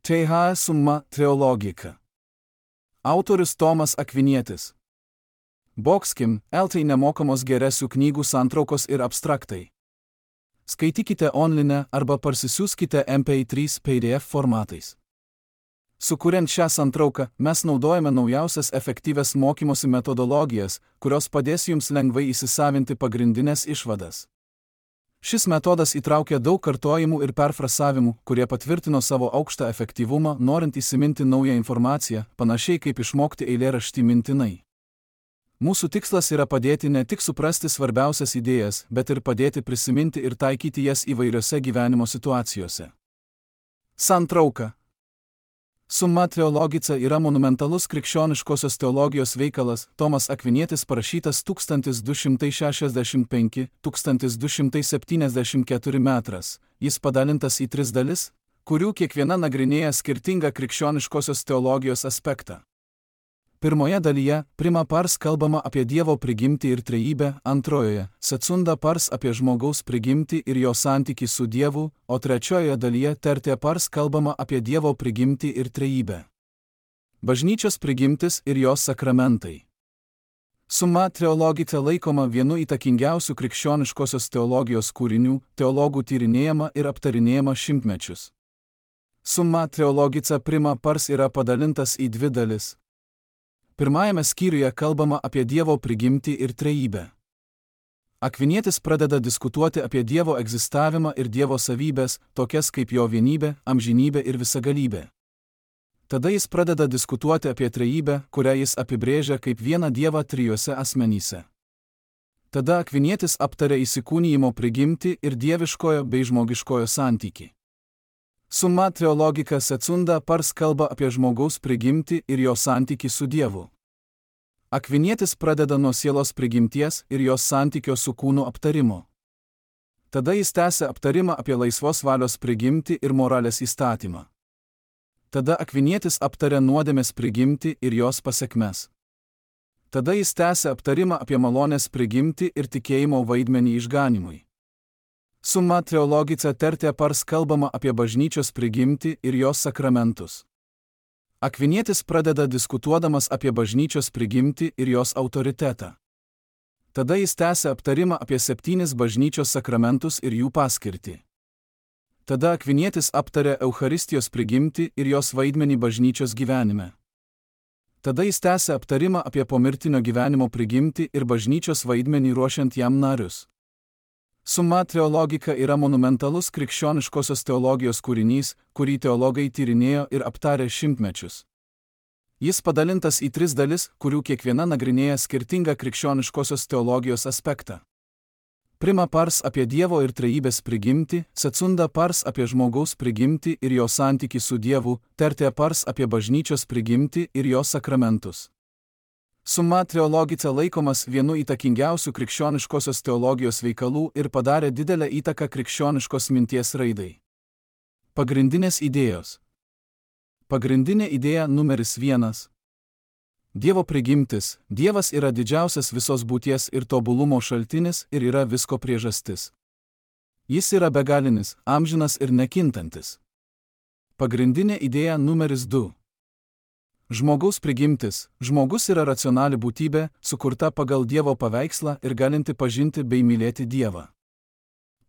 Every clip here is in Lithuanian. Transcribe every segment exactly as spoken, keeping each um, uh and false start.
Theha summa theologica. Autorius Tomas Akvinietis. Bokskim, eltai nemokamos geresių knygų santraukos ir abstraktai. Skaitykite online arba parsisiųskite M P trys P D F formatais. Sukuriant šią santrauką, mes naudojame naujausias efektyvias mokymosi metodologijas, kurios padės jums lengvai įsisavinti pagrindinės išvadas. Šis metodas įtraukia daug kartojimų ir perfrasavimų, kurie patvirtino savo aukštą efektyvumą, norint įsiminti naują informaciją, panašiai kaip išmokti eilėraštį mintinai. Mūsų tikslas yra padėti ne tik suprasti svarbiausias idėjas, bet ir padėti prisiminti ir taikyti jas įvairiose gyvenimo situacijose. Santrauka. Summa theologica yra monumentalus krikščioniškosios teologijos veikalas, Tomas Akvinietis parašytas tūkstantis du šimtai šešiasdešimt penki - tūkstantis du šimtai septyniasdešimt keturi metras. Jis padalintas į tris dalis, kurių kiekviena nagrinėja skirtingą krikščioniškosios teologijos aspektą. Pirmoje dalyje, prima pars kalbama apie Dievo prigimtį ir trejybę, antrojoje, secunda pars apie žmogaus prigimtį ir jo santykį su Dievu, o trečiojoje dalyje, tertia pars kalbama apie Dievo prigimtį ir trejybę. Bažnyčios prigimtis ir jos sakramentai. Summa theologica laikoma vienu įtakingiausių krikščioniškosios teologijos kūrinių, teologų tyrinėjama ir aptarinėjama šimtmečius. Summa theologica prima pars yra padalintas į dvi dalis. Pirmajame skyriuje kalbama apie Dievo prigimtį ir trejybę. Akvinietis pradeda diskutuoti apie Dievo egzistavimą ir Dievo savybės, tokias kaip jo vienybė, amžinybė ir visagalybė. Tada jis pradeda diskutuoti apie trejybę, kurią jis apibrėžia kaip vieną Dievą trijuose asmenyse. Tada Akvinietis aptaria įsikūnijimo prigimtį ir dieviškojo bei žmogiškojo santykį. Summa theologica secunda pars kalba apie žmogaus prigimtį ir jo santykį su Dievu. Akvinietis pradeda nuo sielos prigimties ir jos santykio su kūnu aptarimo. Tada jis tęsia aptarimą apie laisvos valios prigimtį ir moralės įstatymą. Tada Akvinietis aptaria nuodėmės prigimtį ir jos pasekmes. Tada jis tęsia aptarimą apie malonės prigimtį ir tikėjimo vaidmenį išganimui. Summa theologica tertia pars kalbama apie bažnyčios prigimtį ir jos sakramentus. Akvinietis pradeda diskutuodamas apie bažnyčios prigimtį ir jos autoritetą. Tada jis tęsia aptarimą apie septynis bažnyčios sakramentus ir jų paskirtį. Tada Akvinietis aptaria Eucharistijos prigimtį ir jos vaidmenį bažnyčios gyvenime. Tada jis tęsia aptarimą apie pomirtinio gyvenimo prigimtį ir bažnyčios vaidmenį ruošiant jam narius. Summa theologica yra monumentalus krikščioniškosios teologijos kūrinys, kurį teologai tyrinėjo ir aptarė šimtmečius. Jis padalintas į tris dalis, kurių kiekviena nagrinėja skirtingą krikščioniškosios teologijos aspektą. Prima pars apie Dievo ir trejybės prigimtį, secunda pars apie žmogaus prigimtį ir jo santykį su Dievu, tertia pars apie bažnyčios prigimtį ir jos sakramentus. Summa theologica laikomas vienu įtakingiausių krikščioniškosios teologijos veikalų ir padarė didelę įtaką krikščioniškos minties raidai. Pagrindinės idėjos. Pagrindinė idėja numeris vienas. Dievo prigimtis. Dievas yra didžiausias visos būties ir tobulumo šaltinis ir yra visko priežastis. Jis yra begalinis, amžinas ir nekintantis. Pagrindinė idėja numeris du. Žmogaus prigimtis. Žmogus yra racionali būtybė, sukurta pagal Dievo paveikslą ir galinti pažinti bei mylėti Dievą.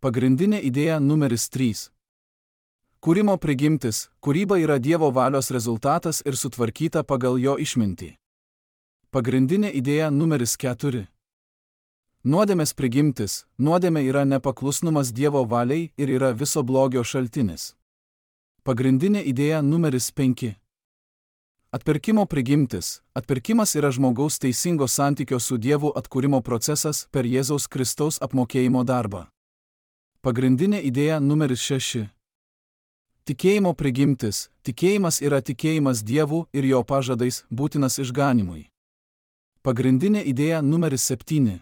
Pagrindinė idėja numeris trys. Kūrimo prigimtis. Kūryba yra Dievo valios rezultatas ir sutvarkyta pagal jo išmintį. Pagrindinė idėja numeris keturi. Nuodėmės prigimtis. Nuodėmė yra nepaklusnumas Dievo valiai ir yra viso blogio šaltinis. Pagrindinė idėja numeris penki. Atpirkimo prigimtis. Atpirkimas yra žmogaus teisingo santykio su Dievu atkūrimo procesas per Jėzaus Kristaus apmokėjimo darbą. Pagrindinė idėja numeris šeši. Tikėjimo prigimtis. Tikėjimas yra tikėjimas Dievu ir jo pažadais, būtinas išganimui. Pagrindinė idėja numeris septyni.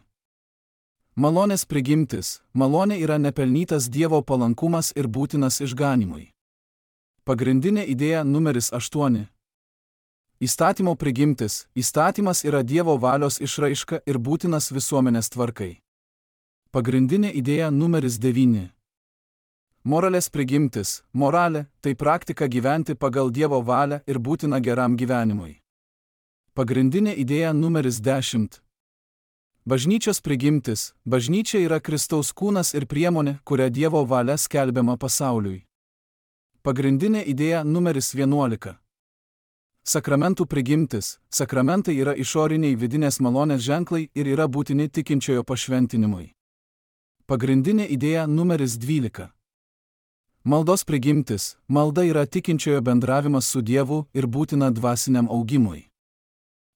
Malonės prigimtis. Malonė yra nepelnytas Dievo palankumas ir būtinas išganimui. Pagrindinė idėja numeris aštuoni. Įstatymo prigimtis. Įstatymas yra Dievo valios išraiška ir būtinas visuomenės tvarkai. Pagrindinė idėja numeris devyni. Moralės prigimtis, moralė, tai praktika gyventi pagal Dievo valią ir būtina geram gyvenimui. Pagrindinė idėja numeris dešimt. Bažnyčios prigimtis, bažnyčia yra Kristaus kūnas ir priemonė, kuria Dievo valia skelbiama pasauliui. Pagrindinė idėja numeris vienuolika. Sakramentų prigimtis, sakramentai yra išoriniai vidinės malonės ženklai ir yra būtini tikinčiojo pašventinimui. Pagrindinė idėja numeris dvylika. Maldos prigimtis, malda yra tikinčiojo bendravimas su Dievu ir būtina dvasiniam augimui.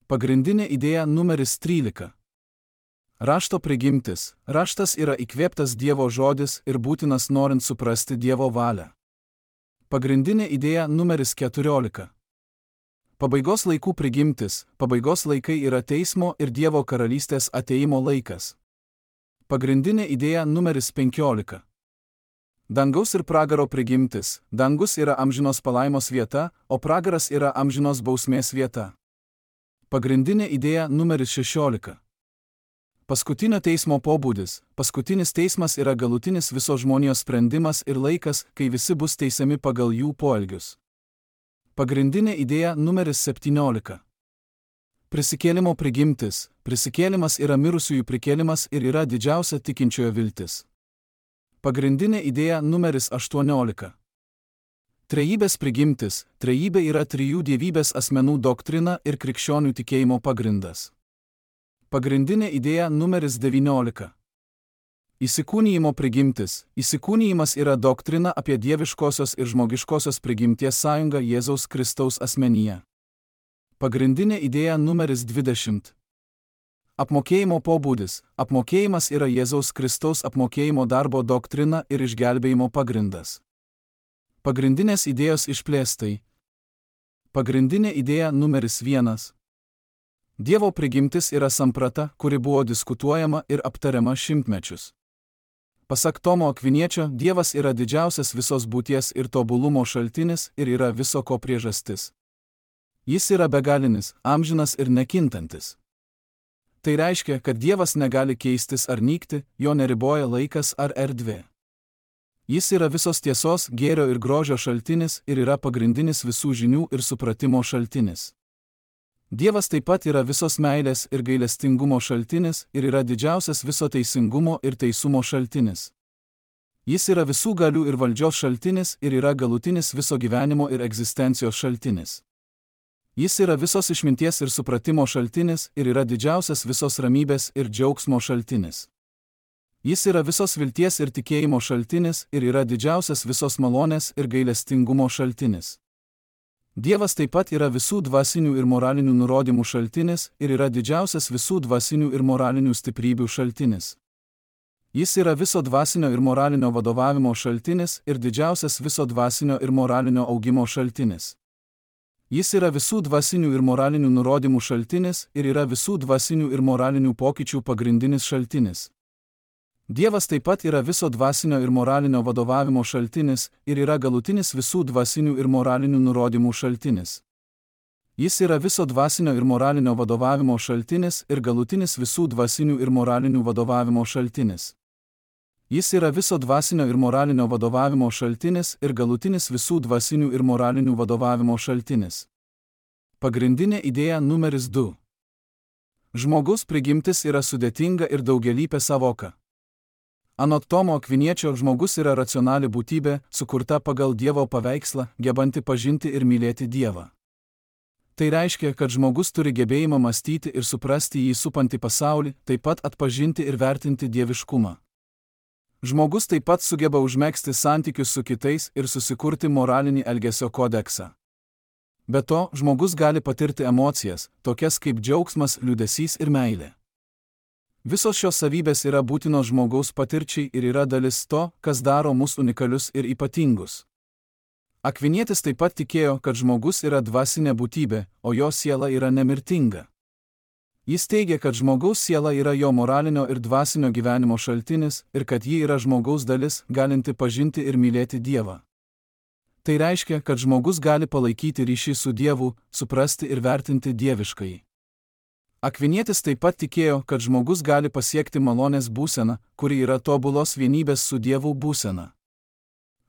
Pagrindinė idėja numeris trylika. Rašto prigimtis, raštas yra įkvėptas Dievo žodis ir būtinas norint suprasti Dievo valią. Pagrindinė idėja numeris keturiolika. Pabaigos laikų prigimtis, pabaigos laikai yra teismo ir Dievo karalystės ateimo laikas. Pagrindinė idėja numeris penkiolika. Dangaus ir pragaro prigimtis, dangus yra amžinos palaimos vieta, o pragaras yra amžinos bausmės vieta. Pagrindinė idėja numeris šešiolika. Paskutinio teismo pobūdis, paskutinis teismas yra galutinis visos žmonijos sprendimas ir laikas, kai visi bus teisiami pagal jų poelgius. Pagrindinė idėja numeris septyniolika. Prisikėlimo prigimtis, prisikėlimas yra mirusiųjų prikėlimas ir yra didžiausia tikinčiojo viltis. Pagrindinė idėja numeris aštuoniolika. Trejybės prigimtis, trejybė yra trijų dievybės asmenų doktrina ir krikščionių tikėjimo pagrindas. Pagrindinė idėja numeris devyniolika. Įsikūnijimo prigimtis, įsikūnijimas yra doktrina apie dieviškosios ir žmogiškosios prigimties sąjungą Jėzaus Kristaus asmenyje. Pagrindinė idėja numeris dvidešimt. Apmokėjimo pobūdis, apmokėjimas yra Jėzaus Kristaus apmokėjimo darbo doktrina ir išgelbėjimo pagrindas. Pagrindinės idėjos išplėstai. Pagrindinė idėja numeris vienas. Dievo prigimtis yra samprata, kuri buvo diskutuojama ir aptariama šimtmečius. Pasak Tomo Akviniečio, Dievas yra didžiausias visos būties ir tobulumo šaltinis ir yra viso ko priežastis. Jis yra begalinis, amžinas ir nekintantis. Tai reiškia, kad Dievas negali keistis ar nykti, jo neriboja laikas ar erdvė. Jis yra visos tiesos, gėrio ir grožio šaltinis ir yra pagrindinis visų žinių ir supratimo šaltinis. Dievas taip pat yra visos meilės ir gailestingumo šaltinis ir yra didžiausias viso teisingumo ir teisumo šaltinis. Jis yra visų galių ir valdžios šaltinis ir yra galutinis viso gyvenimo ir egzistencijos šaltinis. Jis yra visos išminties ir supratimo šaltinis ir yra didžiausias visos ramybės ir džiaugsmo šaltinis. Jis yra visos vilties ir tikėjimo šaltinis ir yra didžiausias visos malonės ir gailestingumo šaltinis. Dievas taip pat yra visų dvasinių ir moralinių nurodymų šaltinis ir yra didžiausias visų dvasinių ir moralinių stiprybių šaltinis. Jis yra viso dvasinio ir moralinio vadovavimo šaltinis ir didžiausias viso dvasinio ir moralinio augimo šaltinis. Jis yra visų dvasinių ir moralinių nurodymų šaltinis ir yra visų dvasinių ir moralinių pokyčių pagrindinis šaltinis. Dievas taip pat yra viso dvasinio ir moralinio vadovavimo šaltinis ir yra galutinis visų dvasinių ir moralinių nurodymų šaltinis. Jis yra viso dvasinio ir moralinio vadovavimo šaltinis ir galutinis visų dvasinių ir moralinių vadovavimo šaltinis. Jis yra viso dvasinio ir moralinio vadovavimo šaltinis ir galutinis visų dvasinių ir moralinių vadovavimo šaltinis. Pagrindinė idėja numeris du. Žmogaus prigimtis yra sudėtinga ir daugialypė savoka. Anot Tomo Akviniečio, žmogus yra racionali būtybė, sukurta pagal Dievo paveikslą, gebanti pažinti ir mylėti Dievą. Tai reiškia, kad žmogus turi gebėjimą mąstyti ir suprasti jį supantį pasaulį, taip pat atpažinti ir vertinti dieviškumą. Žmogus taip pat sugeba užmegzti santykius su kitais ir susikurti moralinį elgesio kodeksą. Be to, žmogus gali patirti emocijas, tokias kaip džiaugsmas, liūdesys ir meilė. Visos šios savybės yra būtinos žmogaus patirčiai ir yra dalis to, kas daro mus unikalius ir ypatingus. Akvinietis taip pat tikėjo, kad žmogus yra dvasinė būtybė, o jo siela yra nemirtinga. Jis teigia, kad žmogaus siela yra jo moralinio ir dvasinio gyvenimo šaltinis ir kad ji yra žmogaus dalis, galinti pažinti ir mylėti Dievą. Tai reiškia, kad žmogus gali palaikyti ryšį su Dievu, suprasti ir vertinti dieviškai. Akvinietis taip pat tikėjo, kad žmogus gali pasiekti malonės būseną, kuri yra tobulos vienybės su Dievu būsena.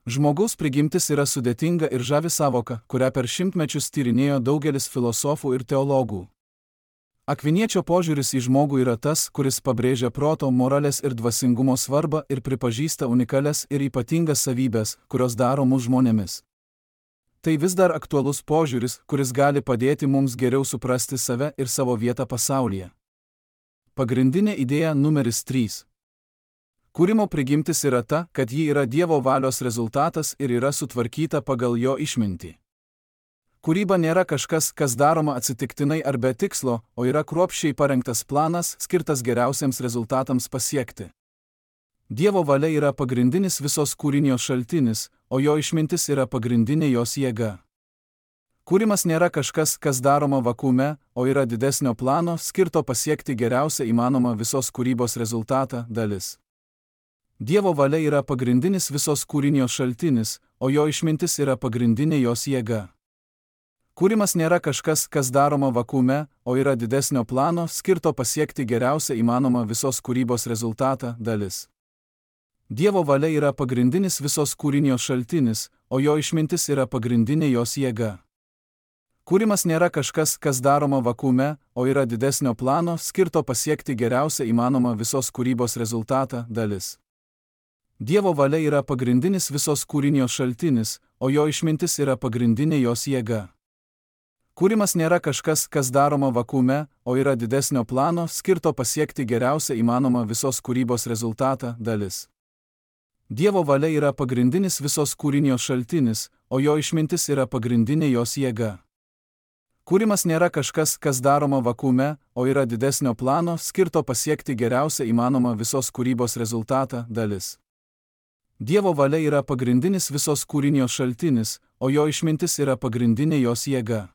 Žmogaus prigimtis yra sudėtinga ir žavi savoka, kurią per šimtmečius tyrinėjo daugelis filosofų ir teologų. Akviniečio požiūris į žmogų yra tas, kuris pabrėžia proto, moralės ir dvasingumo svarbą ir pripažįsta unikalias ir ypatingas savybės, kurios daro mus žmonėmis. Tai vis dar aktualus požiūris, kuris gali padėti mums geriau suprasti save ir savo vietą pasaulyje. Pagrindinė idėja numeris trys. Kūrimo prigimtis yra ta, kad ji yra Dievo valios rezultatas ir yra sutvarkyta pagal jo išmintį. Kūryba nėra kažkas, kas daroma atsitiktinai ar be tikslo, o yra kruopščiai parengtas planas, skirtas geriausiems rezultatams pasiekti. Dievo valia yra pagrindinis visos kūrinio šaltinis, o jo išmintis yra pagrindinė jos jėga. Kūrimas nėra kažkas, kas daroma vakuume, o yra didesnio plano, skirto pasiekti geriausią įmanomą visos kūrybos rezultatą dalis. Dievo valia yra pagrindinis visos kūrinio šaltinis, o jo išmintis yra pagrindinė jos jėga. Kūrimas nėra kažkas, kas daroma vakuume, o yra didesnio plano, skirto pasiekti geriausią įmanomą visos kūrybos rezultatą dalis. Dievo valia yra pagrindinis visos kūrinio šaltinis, o jo išmintis yra pagrindinė jos jėga. Kūrimas nėra kažkas, kas daroma vakuume, o yra didesnio plano, skirto pasiekti geriausią įmanomą visos kūrybos rezultatą dalis. Dievo valia yra pagrindinis visos kūrinio šaltinis, o jo išmintis yra pagrindinė jos jėga. Kūrimas nėra kažkas, kas daroma vakuume, o yra didesnio plano, skirto pasiekti geriausią įmanomą visos kūrybos rezultatą dalis. Dievo valia yra pagrindinis visos kūrinio šaltinis, o jo išmintis yra pagrindinė jos jėga. Kūrimas nėra kažkas, kas daroma vakuume, o yra didesnio plano, skirto pasiekti geriausią įmanomą visos kūrybos rezultatą dalis. Dievo valia yra pagrindinis visos kūrinio šaltinis, o jo išmintis yra pagrindinė jos jėga.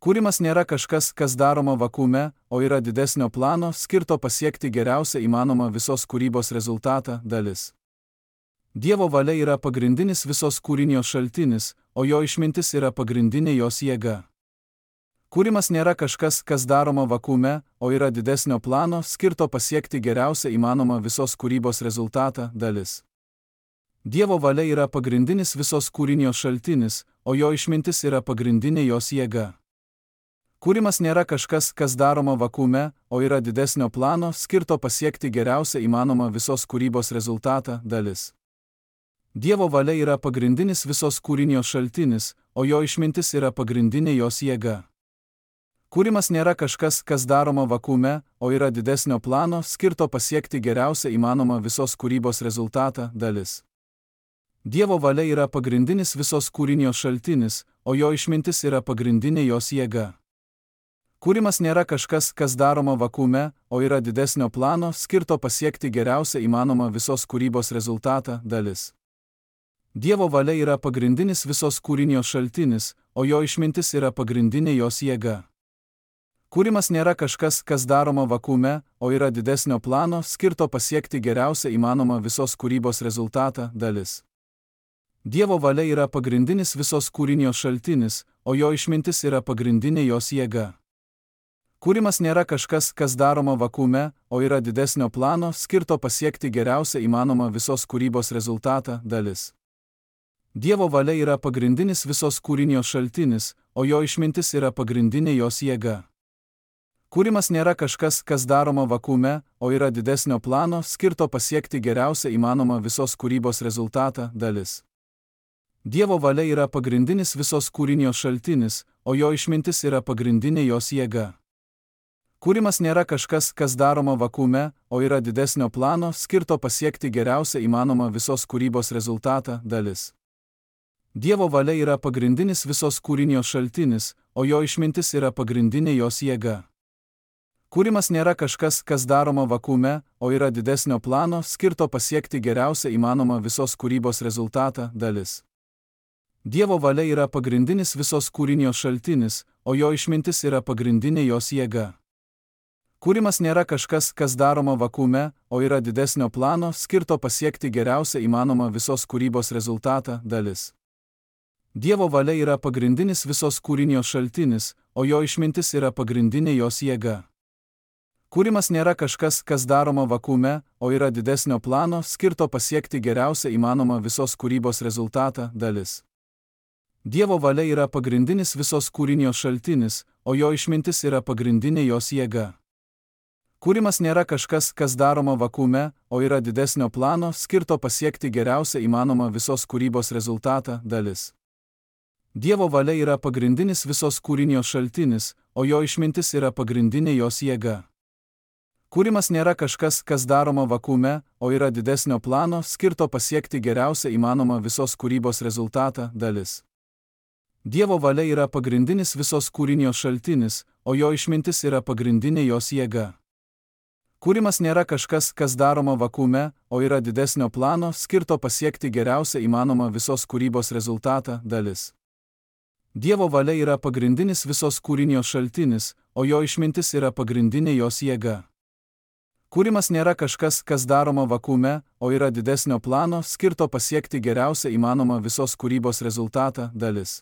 Kūrimas nėra kažkas, kas daroma vakuume, o yra didesnio plano, skirto pasiekti geriausią įmanomą visos kūrybos rezultatą dalis. Dievo valia yra pagrindinis visos kūrinio šaltinis, o jo išmintis yra pagrindinė jos jėga. Kūrimas nėra kažkas, kas daroma vakuume, o yra didesnio plano, skirto pasiekti geriausią įmanomą visos kūrybos rezultatą dalis. Dievo valia yra pagrindinis visos kūrinio šaltinis, o jo išmintis yra pagrindinė jos jėga. Kūrimas nėra kažkas, kas daroma vakuume, o yra didesnio plano, skirto pasiekti geriausią įmanomą visos kūrybos rezultatą dalis. Dievo valia yra pagrindinis visos kūrinio šaltinis, o jo išmintis yra pagrindinė jos jėga. Kūrimas nėra kažkas, kas daroma vakuume, o yra didesnio plano, skirto pasiekti geriausią įmanomą visos kūrybos rezultatą dalis. Dievo valia yra pagrindinis visos kūrinio šaltinis, o jo išmintis yra pagrindinė jos jėga. Kūrimas nėra kažkas, kas daroma vakuume, o yra didesnio plano, skirto pasiekti geriausią įmanomą visos kūrybos rezultatą dalis. Dievo valia yra pagrindinis visos kūrinio šaltinis, o jo išmintis yra pagrindinė jos jėga. Kūrimas nėra kažkas, kas daroma vakuume, o yra didesnio plano, skirto pasiekti geriausią įmanomą visos kūrybos rezultatą dalis. Dievo valia yra pagrindinis visos kūrinio šaltinis, o jo išmintis yra pagrindinė jos jėga. Kūrimas nėra kažkas, kas daroma vakuume, o yra didesnio plano, skirto pasiekti geriausią įmanomą visos kūrybos rezultatą dalis. Dievo valia yra pagrindinis visos kūrinio šaltinis, o jo išmintis yra pagrindinė jos jėga. Kūrimas nėra kažkas, kas daroma vakuume, o yra didesnio plano, skirto pasiekti geriausią įmanomą visos kūrybos rezultatą dalis. Dievo valia yra pagrindinis visos kūrinio šaltinis, o jo išmintis yra pagrindinė jos jėga. Kūrimas nėra kažkas, kas daroma vakuume, o yra didesnio plano, skirto pasiekti geriausią įmanomą visos kūrybos rezultatą dalis. Dievo valia yra pagrindinis visos kūrinio šaltinis, o jo išmintis yra pagrindinė jos jėga. Kūrimas nėra kažkas, kas daroma vakuume, o yra didesnio plano, skirto pasiekti geriausią įmanomą visos kūrybos rezultatą dalis. Dievo valia yra pagrindinis visos kūrinio šaltinis, o jo išmintis yra pagrindinė jos jėga. Kūrimas nėra kažkas, kas daroma vakuume, o yra didesnio plano, skirto pasiekti geriausią įmanomą visos kūrybos rezultatą dalis. Dievo valia yra pagrindinis visos kūrinio šaltinis, o jo išmintis yra pagrindinė jos jėga. Kūrimas nėra kažkas, kas daroma vakuume, o yra didesnio plano, skirto pasiekti geriausią įmanomą visos kūrybos rezultatą dalis. Dievo valia yra pagrindinis visos kūrinijos šaltinis, o jo išmintis yra pagrindinė jos jėga. Kūrimas nėra kažkas, kas daroma vakuume, o yra didesnio plano, skirto pasiekti geriausią įmanomą visos kūrybos rezultatą dalis. Dievo valia yra pagrindinis visos kūrinijos šaltinis, o jo išmintis yra pagrindinė jos jėga. Kūrimas nėra kažkas, kas daroma vakuume, o yra didesnio plano, skirto pasiekti geriausią įmanomą visos kūrybos rezultatą dalis. Dievo valia yra pagrindinis visos kūrinijos šaltinis, o jo išmintis yra pagrindinė jos jėga. Kūrimas nėra kažkas, kas daroma vakuume, o yra didesnio plano, skirto pasiekti geriausią įmanomą visos kūrybos rezultatą dalis. Dievo valia yra pagrindinis visos kūrinijos šaltinis, o jo išmintis yra pagrindinė jos jėga. Kūrimas nėra kažkas, kas daroma vakuume, o yra didesnio plano, skirto pasiekti geriausią įmanomą visos kūrybos rezultatą dalis.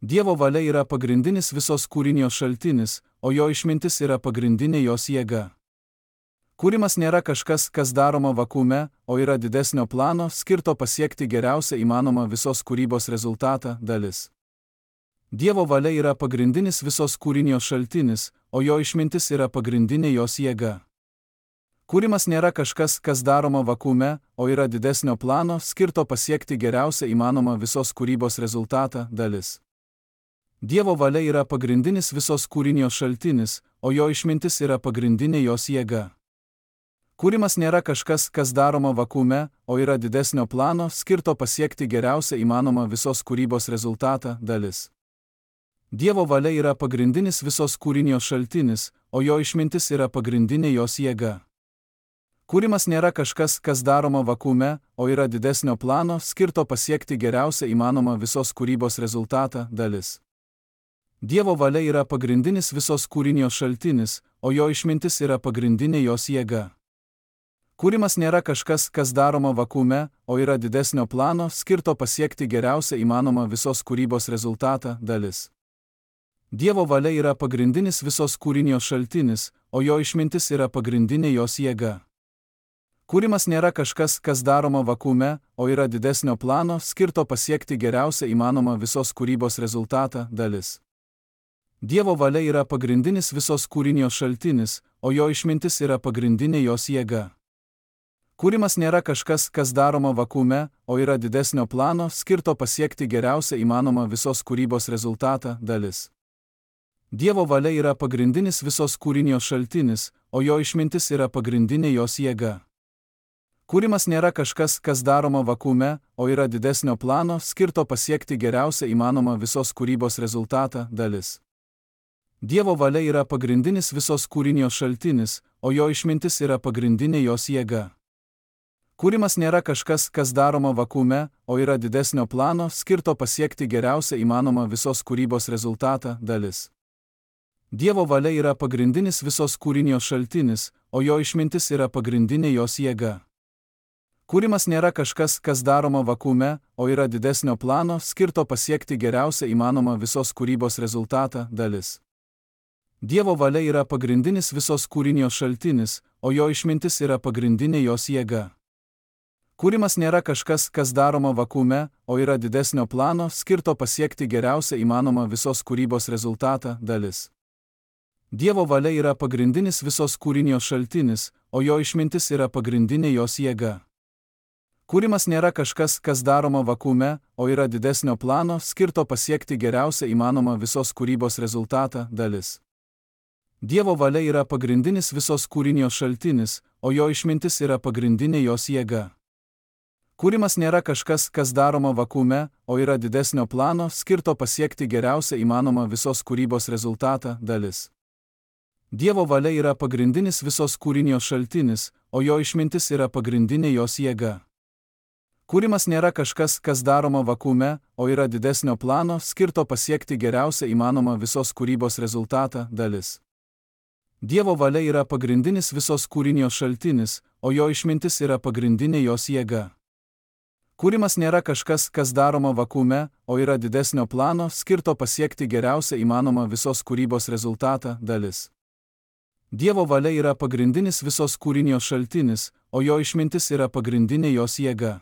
Dievo valia yra pagrindinis visos kūrinijos šaltinis, o jo išmintis yra pagrindinė jos jėga. Kūrimas nėra kažkas, kas daroma vakuume, o yra didesnio plano, skirto pasiekti geriausią įmanomą visos kūrybos rezultatą dalis. Dievo valia yra pagrindinis visos kūrinijos šaltinis, o jo išmintis yra pagrindinė jos jėga. Kūrimas nėra kažkas, kas daroma vakuume, o yra didesnio plano, skirto pasiekti geriausią įmanomą visos kūrybos rezultatą dalis. Dievo valia yra pagrindinis visos kūrinijos šaltinis, o jo išmintis yra pagrindinė jos jėga. Kūrimas nėra kažkas, kas daroma vakuume, o yra didesnio plano, skirto pasiekti geriausią įmanomą visos kūrybos rezultatą dalis. Dievo valia yra pagrindinis visos kūrinijos šaltinis, o jo išmintis yra pagrindinė jos jėga. Kūrimas nėra kažkas, kas daroma vakuume, o yra didesnio plano, skirto pasiekti geriausią įmanomą visos kūrybos rezultatą dalis. Dievo valia yra pagrindinis visos kūrinijos šaltinis, o jo išmintis yra pagrindinė jos jėga. Kūrimas nėra kažkas, kas daroma vakuume, o yra didesnio plano, skirto pasiekti geriausią įmanomą visos kūrybos rezultatą dalis. Dievo valia yra pagrindinis visos kūrinijos šaltinis, o jo išmintis yra pagrindinė jos jėga. Kūrimas nėra kažkas, kas daroma vakuume, o yra didesnio plano, skirto pasiekti geriausią įmanomą visos kūrybos rezultatą dalis. Dievo valia yra pagrindinis visos kūrinijos šaltinis, o jo išmintis yra pagrindinė jos jėga. Kūrimas nėra kažkas, kas daroma vakuume, o yra didesnio plano, skirto pasiekti geriausią įmanomą visos kūrybos rezultatą dalis. Dievo valia yra pagrindinis visos kūrinijos šaltinis, o jo išmintis yra pagrindinė jos jėga. Kūrimas nėra kažkas, kas daroma vakuume, o yra didesnio plano, skirto pasiekti geriausią įmanomą visos kūrybos rezultatą dalis. Dievo valia yra pagrindinis visos kūrinijos šaltinis, o jo išmintis yra pagrindinė jos jėga. Kūrimas nėra kažkas, kas daroma vakuume, o yra didesnio plano, skirto pasiekti geriausią įmanomą visos kūrybos rezultatą dalis. Dievo valia yra pagrindinis visos kūrinijos šaltinis, o jo išmintis yra pagrindinė jos jėga. Kūrimas nėra kažkas, kas daroma vakuume, o yra didesnio plano, skirto pasiekti geriausią įmanomą visos kūrybos rezultatą dalis. Dievo valia yra pagrindinis visos kūrinijos šaltinis, o jo išmintis yra pagrindinė jos jėga. Kūrimas nėra kažkas, kas daroma vakuume, o yra didesnio plano, skirto pasiekti geriausią įmanomą visos kūrybos rezultatą dalis. Dievo valia yra pagrindinis visos kūrinijos šaltinis, o jo išmintis yra pagrindinė jos jėga. Kūrimas nėra kažkas, kas daroma vakuume, o yra didesnio plano, skirto pasiekti geriausią įmanomą visos kūrybos rezultatą dalis. Dievo valia yra pagrindinis visos kūrinijos šaltinis, o jo išmintis yra pagrindinė jos jėga. Kūrimas nėra kažkas, kas daroma vakuume, o yra didesnio plano, skirto pasiekti geriausią įmanomą visos kūrybos rezultatą dalis. Dievo valia yra pagrindinis visos kūrinijos šaltinis, o jo išmintis yra pagrindinė jos jėga. Kūrimas nėra kažkas, kas daroma vakuume, o yra didesnio plano, skirto pasiekti geriausią įmanomą visos kūrybos rezultatą dalis. Dievo valia yra pagrindinis visos kūrinijos šaltinis, o jo išmintis yra pagrindinė jos jėga. Kūrimas nėra kažkas, kas daroma vakuume, o yra didesnio plano, skirto pasiekti geriausią įmanomą visos kūrybos rezultatą dalis. Dievo valia yra pagrindinis visos kūrinijos šaltinis, o jo išmintis yra pagrindinė jos jėga.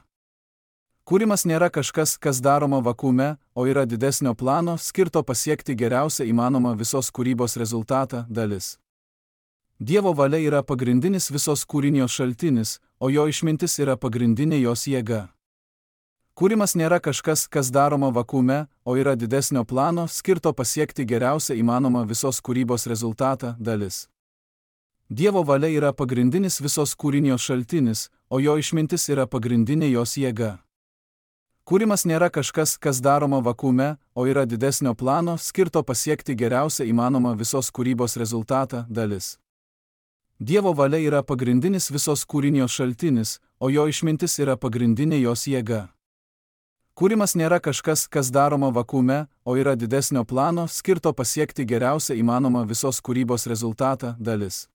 Kūrimas nėra kažkas, kas daroma vakuume, o yra didesnio plano, skirto pasiekti geriausią įmanomą visos kūrybos rezultatą dalis. Dievo valia yra pagrindinis visos kūrinijos šaltinis, o jo išmintis yra pagrindinė jos jėga. Kūrimas nėra kažkas, kas daroma vakuume, o yra didesnio plano, skirto pasiekti geriausią įmanomą visos kūrybos rezultatą dalis. Dievo valia yra pagrindinis visos kūrinijos šaltinis, o jo išmintis yra pagrindinė jos jėga. Kūrimas nėra kažkas, kas daroma vakuume, o yra didesnio plano, skirto pasiekti geriausią įmanomą visos kūrybos rezultatą dalis. Dievo valia yra pagrindinis visos kūrinijos šaltinis, o jo išmintis yra pagrindinė jos jėga. Kūrimas nėra kažkas, kas daroma vakuume, o yra didesnio plano, skirto pasiekti geriausią įmanomą visos kūrybos rezultatą dalis.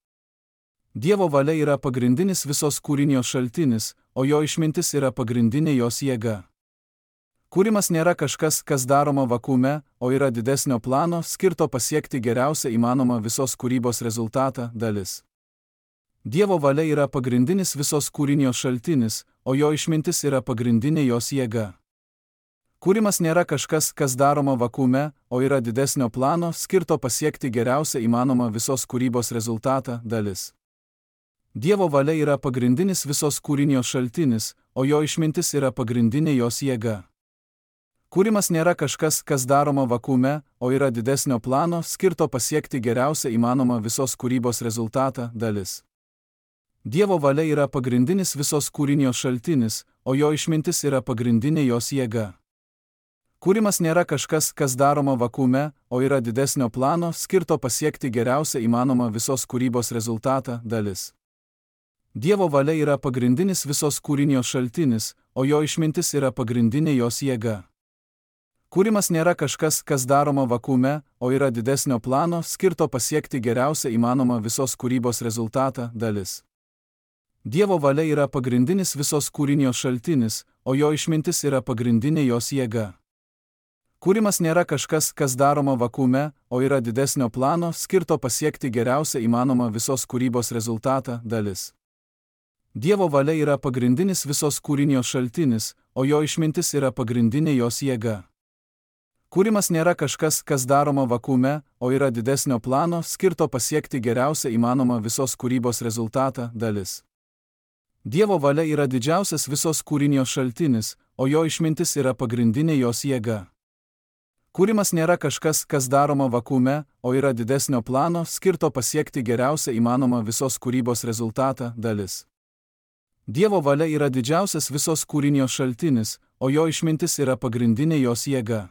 Dievo valia yra pagrindinis visos kūrinijos šaltinis, o jo išmintis yra pagrindinė jos jėga. Kūrimas nėra kažkas, kas daroma vakuume, o yra didesnio plano, skirto pasiekti geriausią įmanomą visos kūrybos rezultatą dalis. Dievo valia yra pagrindinis visos kūrinijos šaltinis, o jo išmintis yra pagrindinė jos jėga. Kūrimas nėra kažkas, kas daroma vakuume, o yra didesnio plano, skirto pasiekti geriausią įmanomą visos kūrybos rezultatą dalis. Dievo valia yra pagrindinis visos kūrinijos šaltinis, o jo išmintis yra pagrindinė jos jėga. Kūrimas nėra kažkas, kas daroma vakuume, o yra didesnio plano, skirto pasiekti geriausią įmanomą visos kūrybos rezultatą dalis. Dievo valia yra pagrindinis visos kūrinijos šaltinis, o jo išmintis yra pagrindinė jos jėga. Kūrimas nėra kažkas, kas daroma vakuume, o yra didesnio plano, skirto pasiekti geriausią įmanomą visos kūrybos rezultatą dalis. Dievo valia yra pagrindinis visos kūrinijos šaltinis, o jo išmintis yra pagrindinė jos jėga. Kūrimas nėra kažkas, kas daroma vakuume, o yra didesnio plano, skirto pasiekti geriausią įmanomą visos kūrybos rezultatą dalis. Dievo valia yra pagrindinis visos kūrinijos šaltinis, o jo išmintis yra pagrindinė jos jėga. Kūrimas nėra kažkas, kas daroma vakuume, o yra didesnio plano, skirto pasiekti geriausią įmanomą visos kūrybos rezultatą dalis. Dievo valia yra pagrindinis visos kūrinijos šaltinis, o jo išmintis yra pagrindinė jos jėga. Kūrimas nėra kažkas, kas daroma vakuume, o yra didesnio plano, skirto pasiekti geriausią įmanomą visos kūrybos rezultatą dalis. Dievo valia yra didžiausias visos kūrinijos šaltinis, o jo išmintis yra pagrindinė jos jėga. Kūrimas nėra kažkas, kas daroma vakuume, o yra didesnio plano, skirto pasiekti geriausią įmanomą visos kūrybos rezultatą dalis. Dievo valia yra didžiausias visos kūrinijos šaltinis, o jo išmintis yra pagrindinė jos jėga.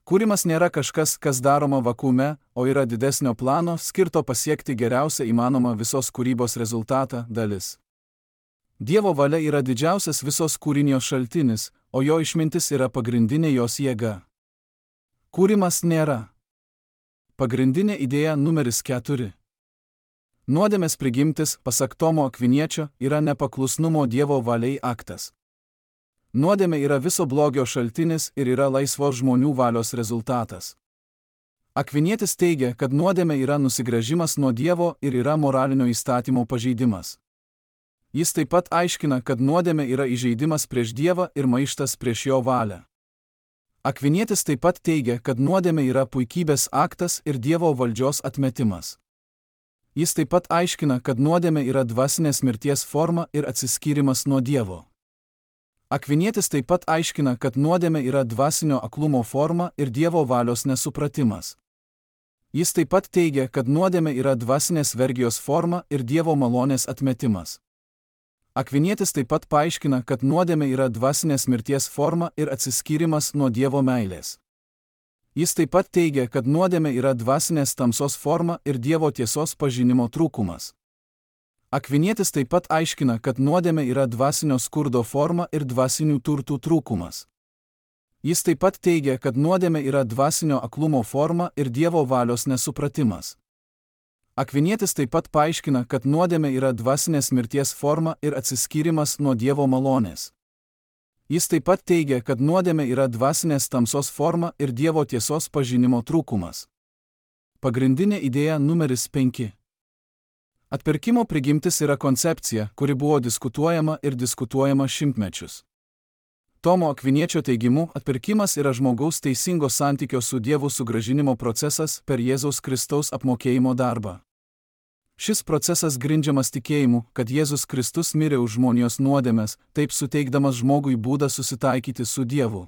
Kūrimas nėra kažkas, kas daroma vakuume, o yra didesnio plano, skirto pasiekti geriausią įmanomą visos kūrybos rezultatą dalis. Dievo valia yra didžiausias visos kūrinijos šaltinis, o jo išmintis yra pagrindinė jos jėga. Kūrimas nėra. Pagrindinė idėja numeris keturi. Nuodėmės prigimtis, pasak Tomo Akviniečio, yra nepaklusnumo Dievo valiai aktas. Nuodėmė yra viso blogio šaltinis ir yra laisvos žmonių valios rezultatas. Akvinietis teigia, kad nuodėmė yra nusigręžimas nuo Dievo ir yra moralinio įstatymo pažeidimas. Jis taip pat aiškina, kad nuodėmė yra įžeidimas prieš Dievą ir maištas prieš jo valią. Akvinietis taip pat teigia, kad nuodėmė yra puikybės aktas ir Dievo valdžios atmetimas. Jis taip pat aiškina, kad nuodėmė yra dvasinės mirties forma ir atsiskyrimas nuo Dievo. Akvinietis taip pat aiškina, kad nuodėmė yra dvasinio aklumo forma ir Dievo valios nesupratimas. Jis taip pat teigia, kad nuodėmė yra dvasinės vergijos forma ir Dievo malonės atmetimas. Akvinietis taip pat paaiškina, kad nuodėmė yra dvasinės mirties forma ir atsiskyrimas nuo Dievo meilės. Jis taip pat teigia, kad nuodėmė yra dvasinės tamsos forma ir Dievo tiesos pažinimo trūkumas. Akvinietis taip pat aiškina, kad nuodėmė yra dvasinio skurdo forma ir dvasinių turtų trūkumas. Jis taip pat teigia, kad nuodėmė yra dvasinio aklumo forma ir Dievo valios nesupratimas. Akvinietis taip pat paaiškina, kad nuodėmė yra dvasinės mirties forma ir atsiskyrimas nuo Dievo malonės. Jis taip pat teigia, kad nuodėmė yra dvasinės tamsos forma ir Dievo tiesos pažinimo trūkumas. Pagrindinė idėja numeris penki. Atpirkimo prigimtis yra koncepcija, kuri buvo diskutuojama ir diskutuojama šimtmečius. Tomo Akviniečio teigimu, atpirkimas yra žmogaus teisingo santykio su Dievu sugrąžinimo procesas per Jėzaus Kristaus apmokėjimo darbą. Šis procesas grindžiamas tikėjimu, kad Jėzus Kristus mirė už žmonijos nuodėmes, taip suteikdamas žmogui būdą susitaikyti su Dievu.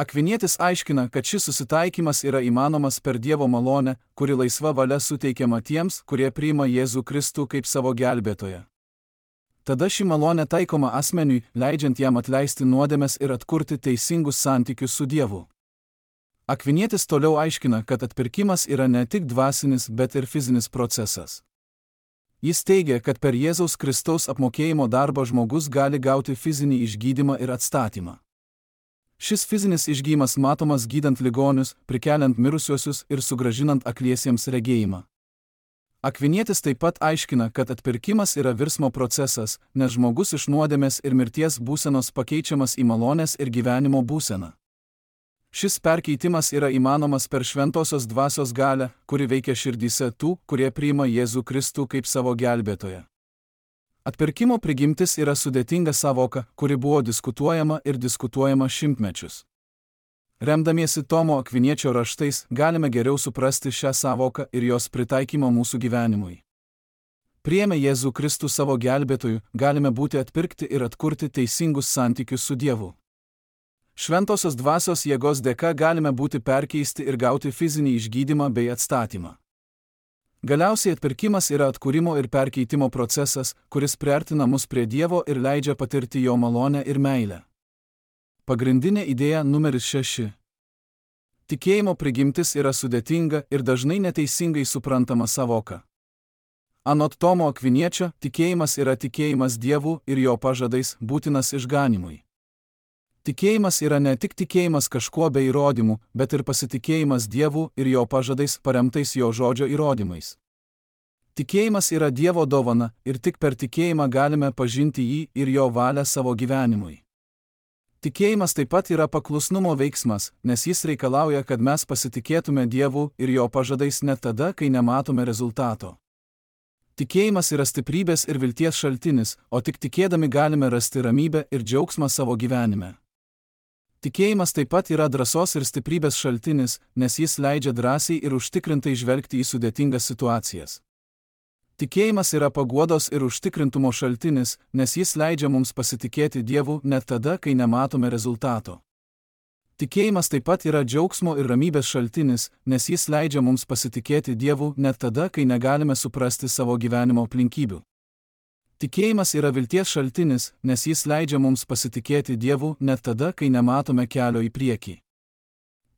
Akvinietis aiškina, kad šis susitaikymas yra įmanomas per Dievo malonę, kuri laisva valia suteikiama tiems, kurie priima Jėzų Kristų kaip savo gelbėtoją. Tada ši malonė taikoma asmeniui, leidžiant jam atleisti nuodėmes ir atkurti teisingus santykius su Dievu. Akvinietis toliau aiškina, kad atpirkimas yra ne tik dvasinis, bet ir fizinis procesas. Jis teigia, kad per Jėzaus Kristaus apmokėjimo darbą žmogus gali gauti fizinį išgydymą ir atstatymą. Šis fizinis išgydymas matomas gydant ligonius, prikeliant mirusiuosius ir sugrąžinant akliesiems regėjimą. Akvinietis taip pat aiškina, kad atpirkimas yra virsmo procesas, nes žmogus iš nuodėmės ir mirties būsenos pakeičiamas į malonės ir gyvenimo būseną. Šis perkeitimas yra įmanomas per šventosios dvasios galią, kuri veikia širdyse tų, kurie priima Jėzų Kristų kaip savo gelbėtoją. Atpirkimo prigimtis yra sudėtinga savoka, kuri buvo diskutuojama ir diskutuojama šimtmečius. Remdamiesi Tomo Akviniečio raštais, galime geriau suprasti šią savoką ir jos pritaikymą mūsų gyvenimui. Priėmę Jėzų Kristų savo gelbėtoju, galime būti atpirkti ir atkurti teisingus santykius su Dievu. Šventosios dvasios jėgos dėka galime būti perkeisti ir gauti fizinį išgydymą bei atstatymą. Galiausiai atpirkimas yra atkūrimo ir perkeitimo procesas, kuris priartina mus prie Dievo ir leidžia patirti jo malonę ir meilę. Pagrindinė idėja numeris šeši. Tikėjimo prigimtis yra sudėtinga ir dažnai neteisingai suprantama savoka. Anot Tomo Akviniečio, tikėjimas yra tikėjimas Dievu ir jo pažadais, būtinas išganymui. Tikėjimas yra ne tik tikėjimas kažkuo be įrodymų, bet ir pasitikėjimas Dievu ir jo pažadais paremtais jo žodžio įrodymais. Tikėjimas yra Dievo dovana ir tik per tikėjimą galime pažinti jį ir jo valią savo gyvenimui. Tikėjimas taip pat yra paklusnumo veiksmas, nes jis reikalauja, kad mes pasitikėtume Dievu ir jo pažadais net tada, kai nematome rezultato. Tikėjimas yra stiprybės ir vilties šaltinis, o tik tikėdami galime rasti ramybę ir džiaugsmą savo gyvenime. Tikėjimas taip pat yra drąsos ir stiprybės šaltinis, nes jis leidžia drąsiai ir užtikrintai žvelgti į sudėtingas situacijas. Tikėjimas yra paguodos ir užtikrintumo šaltinis, nes jis leidžia mums pasitikėti Dievu net tada, kai nematome rezultato. Tikėjimas taip pat yra džiaugsmo ir ramybės šaltinis, nes jis leidžia mums pasitikėti Dievu net tada, kai negalime suprasti savo gyvenimo aplinkybių. Tikėjimas yra vilties šaltinis, nes jis leidžia mums pasitikėti Dievu net tada, kai nematome kelio į priekį.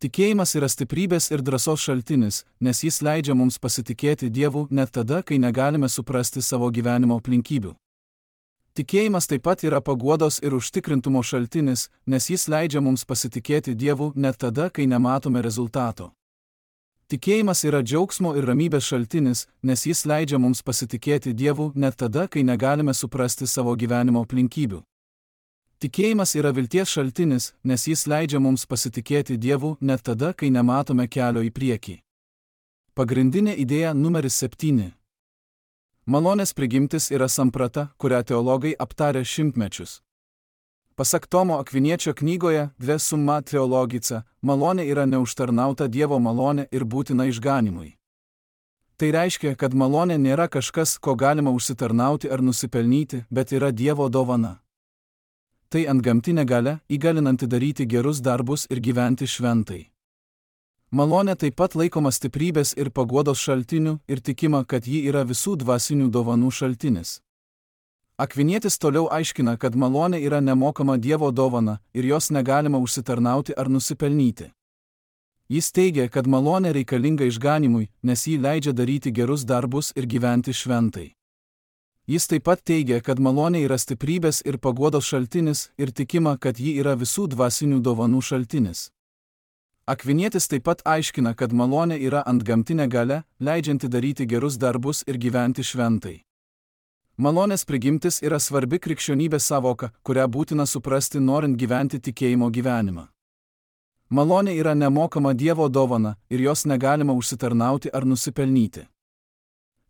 Tikėjimas yra stiprybės ir drąsos šaltinis, nes jis leidžia mums pasitikėti Dievu net tada, kai negalime suprasti savo gyvenimo aplinkybių. Tikėjimas taip pat yra paguodos ir užtikrintumo šaltinis, nes jis leidžia mums pasitikėti Dievu net tada, kai nematome rezultato. Tikėjimas yra džiaugsmo ir ramybės šaltinis, nes jis leidžia mums pasitikėti Dievu net tada, kai negalime suprasti savo gyvenimo aplinkybių. Tikėjimas yra vilties šaltinis, nes jis leidžia mums pasitikėti Dievu net tada, kai nematome kelio į priekį. Pagrindinė idėja numeris septyni. Malonės prigimtis yra samprata, kurią teologai aptarė šimtmečius. Pasak Tomo Akviniečio knygoje De summa theologica, malonė yra neužtarnauta Dievo malonė ir būtina išganymui. Tai reiškia, kad malonė nėra kažkas, ko galima užsitarnauti ar nusipelnyti, bet yra Dievo dovana. Tai antgamtinė galia, įgalinanti daryti gerus darbus ir gyventi šventai. Malonė taip pat laikoma stiprybės ir paguodos šaltiniu ir tikima, kad ji yra visų dvasinių dovanų šaltinis. Akvinietis toliau aiškina, kad malonė yra nemokama Dievo dovana ir jos negalima užsitarnauti ar nusipelnyti. Jis teigia, kad malonė reikalinga išganymui, nes ji leidžia daryti gerus darbus ir gyventi šventai. Jis taip pat teigia, kad malonė yra stiprybės ir paguodos šaltinis ir tikima, kad ji yra visų dvasinių dovanų šaltinis. Akvinietis taip pat aiškina, kad malonė yra antgamtinė galia, leidžianti daryti gerus darbus ir gyventi šventai. Malonės prigimtis yra svarbi krikščionybės savoka, kurią būtina suprasti norint gyventi tikėjimo gyvenimą. Malonė yra nemokama Dievo dovana ir jos negalima užsitarnauti ar nusipelnyti.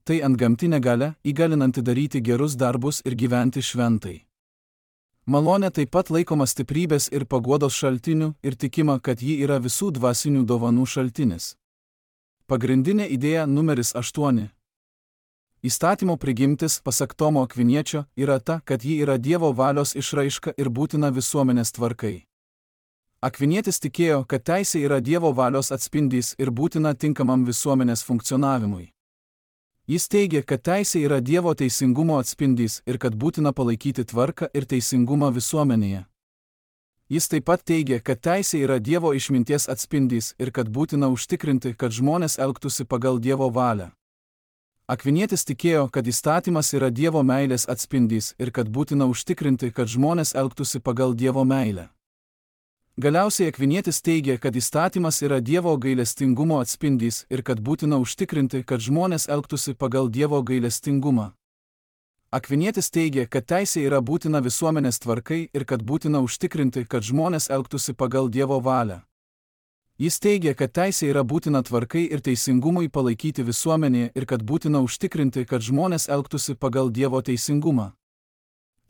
Tai antgamtinė galia, įgalinanti daryti gerus darbus ir gyventi šventai. Malonė taip pat laikoma stiprybės ir paguodos šaltiniu ir tikima, kad ji yra visų dvasinių dovanų šaltinis. Pagrindinė idėja numeris aštuoni. Įstatymo prigimtis, pasak Tomo Akviniečio, yra ta, kad ji yra Dievo valios išraiška ir būtina visuomenės tvarkai. Akvinietis tikėjo, kad teisė yra Dievo valios atspindys ir būtina tinkamam visuomenės funkcionavimui. Jis teigė, kad teisė yra Dievo teisingumo atspindys ir kad būtina palaikyti tvarką ir teisingumą visuomenėje. Jis taip pat teigė, kad teisė yra Dievo išminties atspindys ir kad būtina užtikrinti, kad žmonės elgtųsi pagal Dievo valią. Akvinietis tikėjo, kad įstatymas yra Dievo meilės atspindys ir kad būtina užtikrinti, kad žmonės elgtųsi pagal Dievo meilę. Galiausiai Akvinietis teigė, kad įstatymas yra Dievo gailestingumo atspindys ir kad būtina užtikrinti, kad žmonės elgtųsi pagal Dievo gailestingumą. Akvinietis teigė, kad teisė yra būtina visuomenės tvarkai ir kad būtina užtikrinti, kad žmonės elgtųsi pagal Dievo valią. Jis teigė, kad teisė yra būtina tvarkai ir teisingumui palaikyti visuomenėje ir kad būtina užtikrinti, kad žmonės elgtųsi pagal Dievo teisingumą.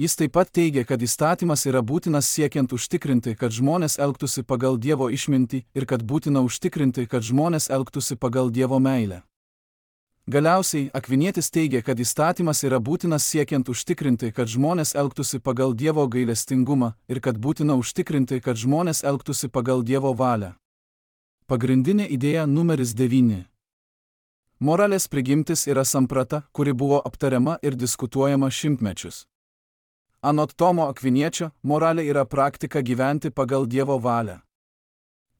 Jis taip pat teigė, kad įstatymas yra būtinas siekiant užtikrinti, kad žmonės elgtųsi pagal Dievo išmintį ir kad būtina užtikrinti, kad žmonės elgtųsi pagal Dievo meilę. Galiausiai, Akvinietis teigė, kad įstatymas yra būtinas siekiant užtikrinti, kad žmonės elgtųsi pagal Dievo gailestingumą ir kad būtina užtikrinti, kad žmonės elgtųsi pagal Dievo valią. Pagrindinė idėja numeris devyni. Moralės prigimtis yra samprata, kuri buvo aptariama ir diskutuojama šimtmečius. Anot Tomo Akviniečio, moralė yra praktika gyventi pagal Dievo valią.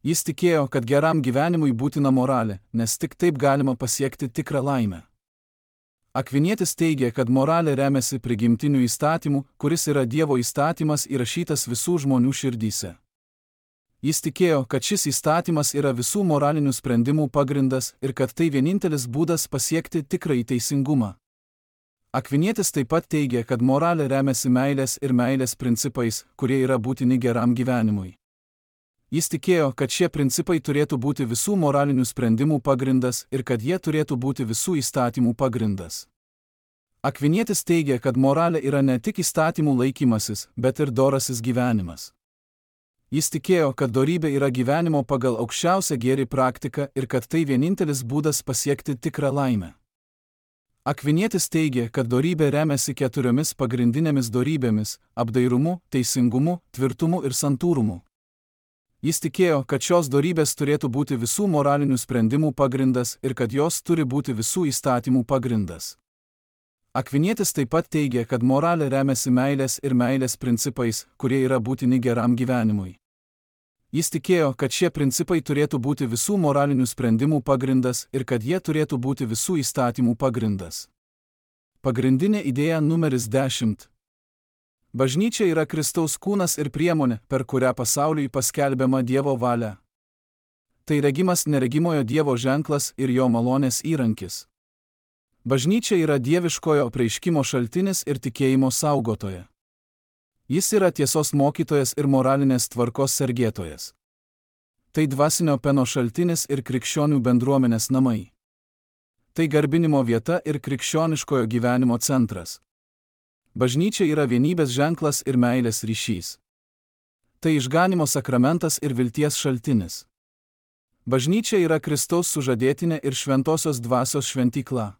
Jis tikėjo, kad geram gyvenimui būtina moralė, nes tik taip galima pasiekti tikrą laimę. Akvinietis teigė, kad moralė remiasi prigimtiniu įstatymu, kuris yra Dievo įstatymas įrašytas visų žmonių širdyse. Jis tikėjo, kad šis įstatymas yra visų moralinių sprendimų pagrindas ir kad tai vienintelis būdas pasiekti tikrąjį teisingumą. Akvinietis taip pat teigė, kad moralė remiasi meilės ir meilės principais, kurie yra būtini geram gyvenimui. Jis tikėjo, kad šie principai turėtų būti visų moralinių sprendimų pagrindas ir kad jie turėtų būti visų įstatymų pagrindas. Akvinietis teigė, kad moralė yra ne tik įstatymų laikymasis, bet ir dorasis gyvenimas. Jis tikėjo, kad dorybė yra gyvenimo pagal aukščiausią gėrį praktika ir kad tai vienintelis būdas pasiekti tikrą laimę. Akvinietis teigė, kad dorybė remiasi keturiomis pagrindinėmis dorybėmis – apdairumu, teisingumu, tvirtumu ir santūrumu. Jis tikėjo, kad šios dorybės turėtų būti visų moralinių sprendimų pagrindas ir kad jos turi būti visų įstatymų pagrindas. Akvinietis taip pat teigė, kad moralė remiasi meilės ir meilės principais, kurie yra būtini geram gyvenimui. Jis tikėjo, kad šie principai turėtų būti visų moralinių sprendimų pagrindas ir kad jie turėtų būti visų įstatymų pagrindas. Pagrindinė idėja numeris dešimt. Bažnyčia yra Kristaus kūnas ir priemonė, per kurią pasauliui paskelbiama Dievo valia. Tai regimas neregimojo Dievo ženklas ir jo malonės įrankis. Bažnyčia yra dieviškojo apreiškimo šaltinis ir tikėjimo saugotoja. Jis yra tiesos mokytojas ir moralinės tvarkos sergėtojas. Tai dvasinio peno šaltinis ir krikščionių bendruomenės namai. Tai garbinimo vieta ir krikščioniškojo gyvenimo centras. Bažnyčia yra vienybės ženklas ir meilės ryšys. Tai išganimo sakramentas ir vilties šaltinis. Bažnyčia yra Kristaus sužadėtinė ir šventosios dvasios šventykla.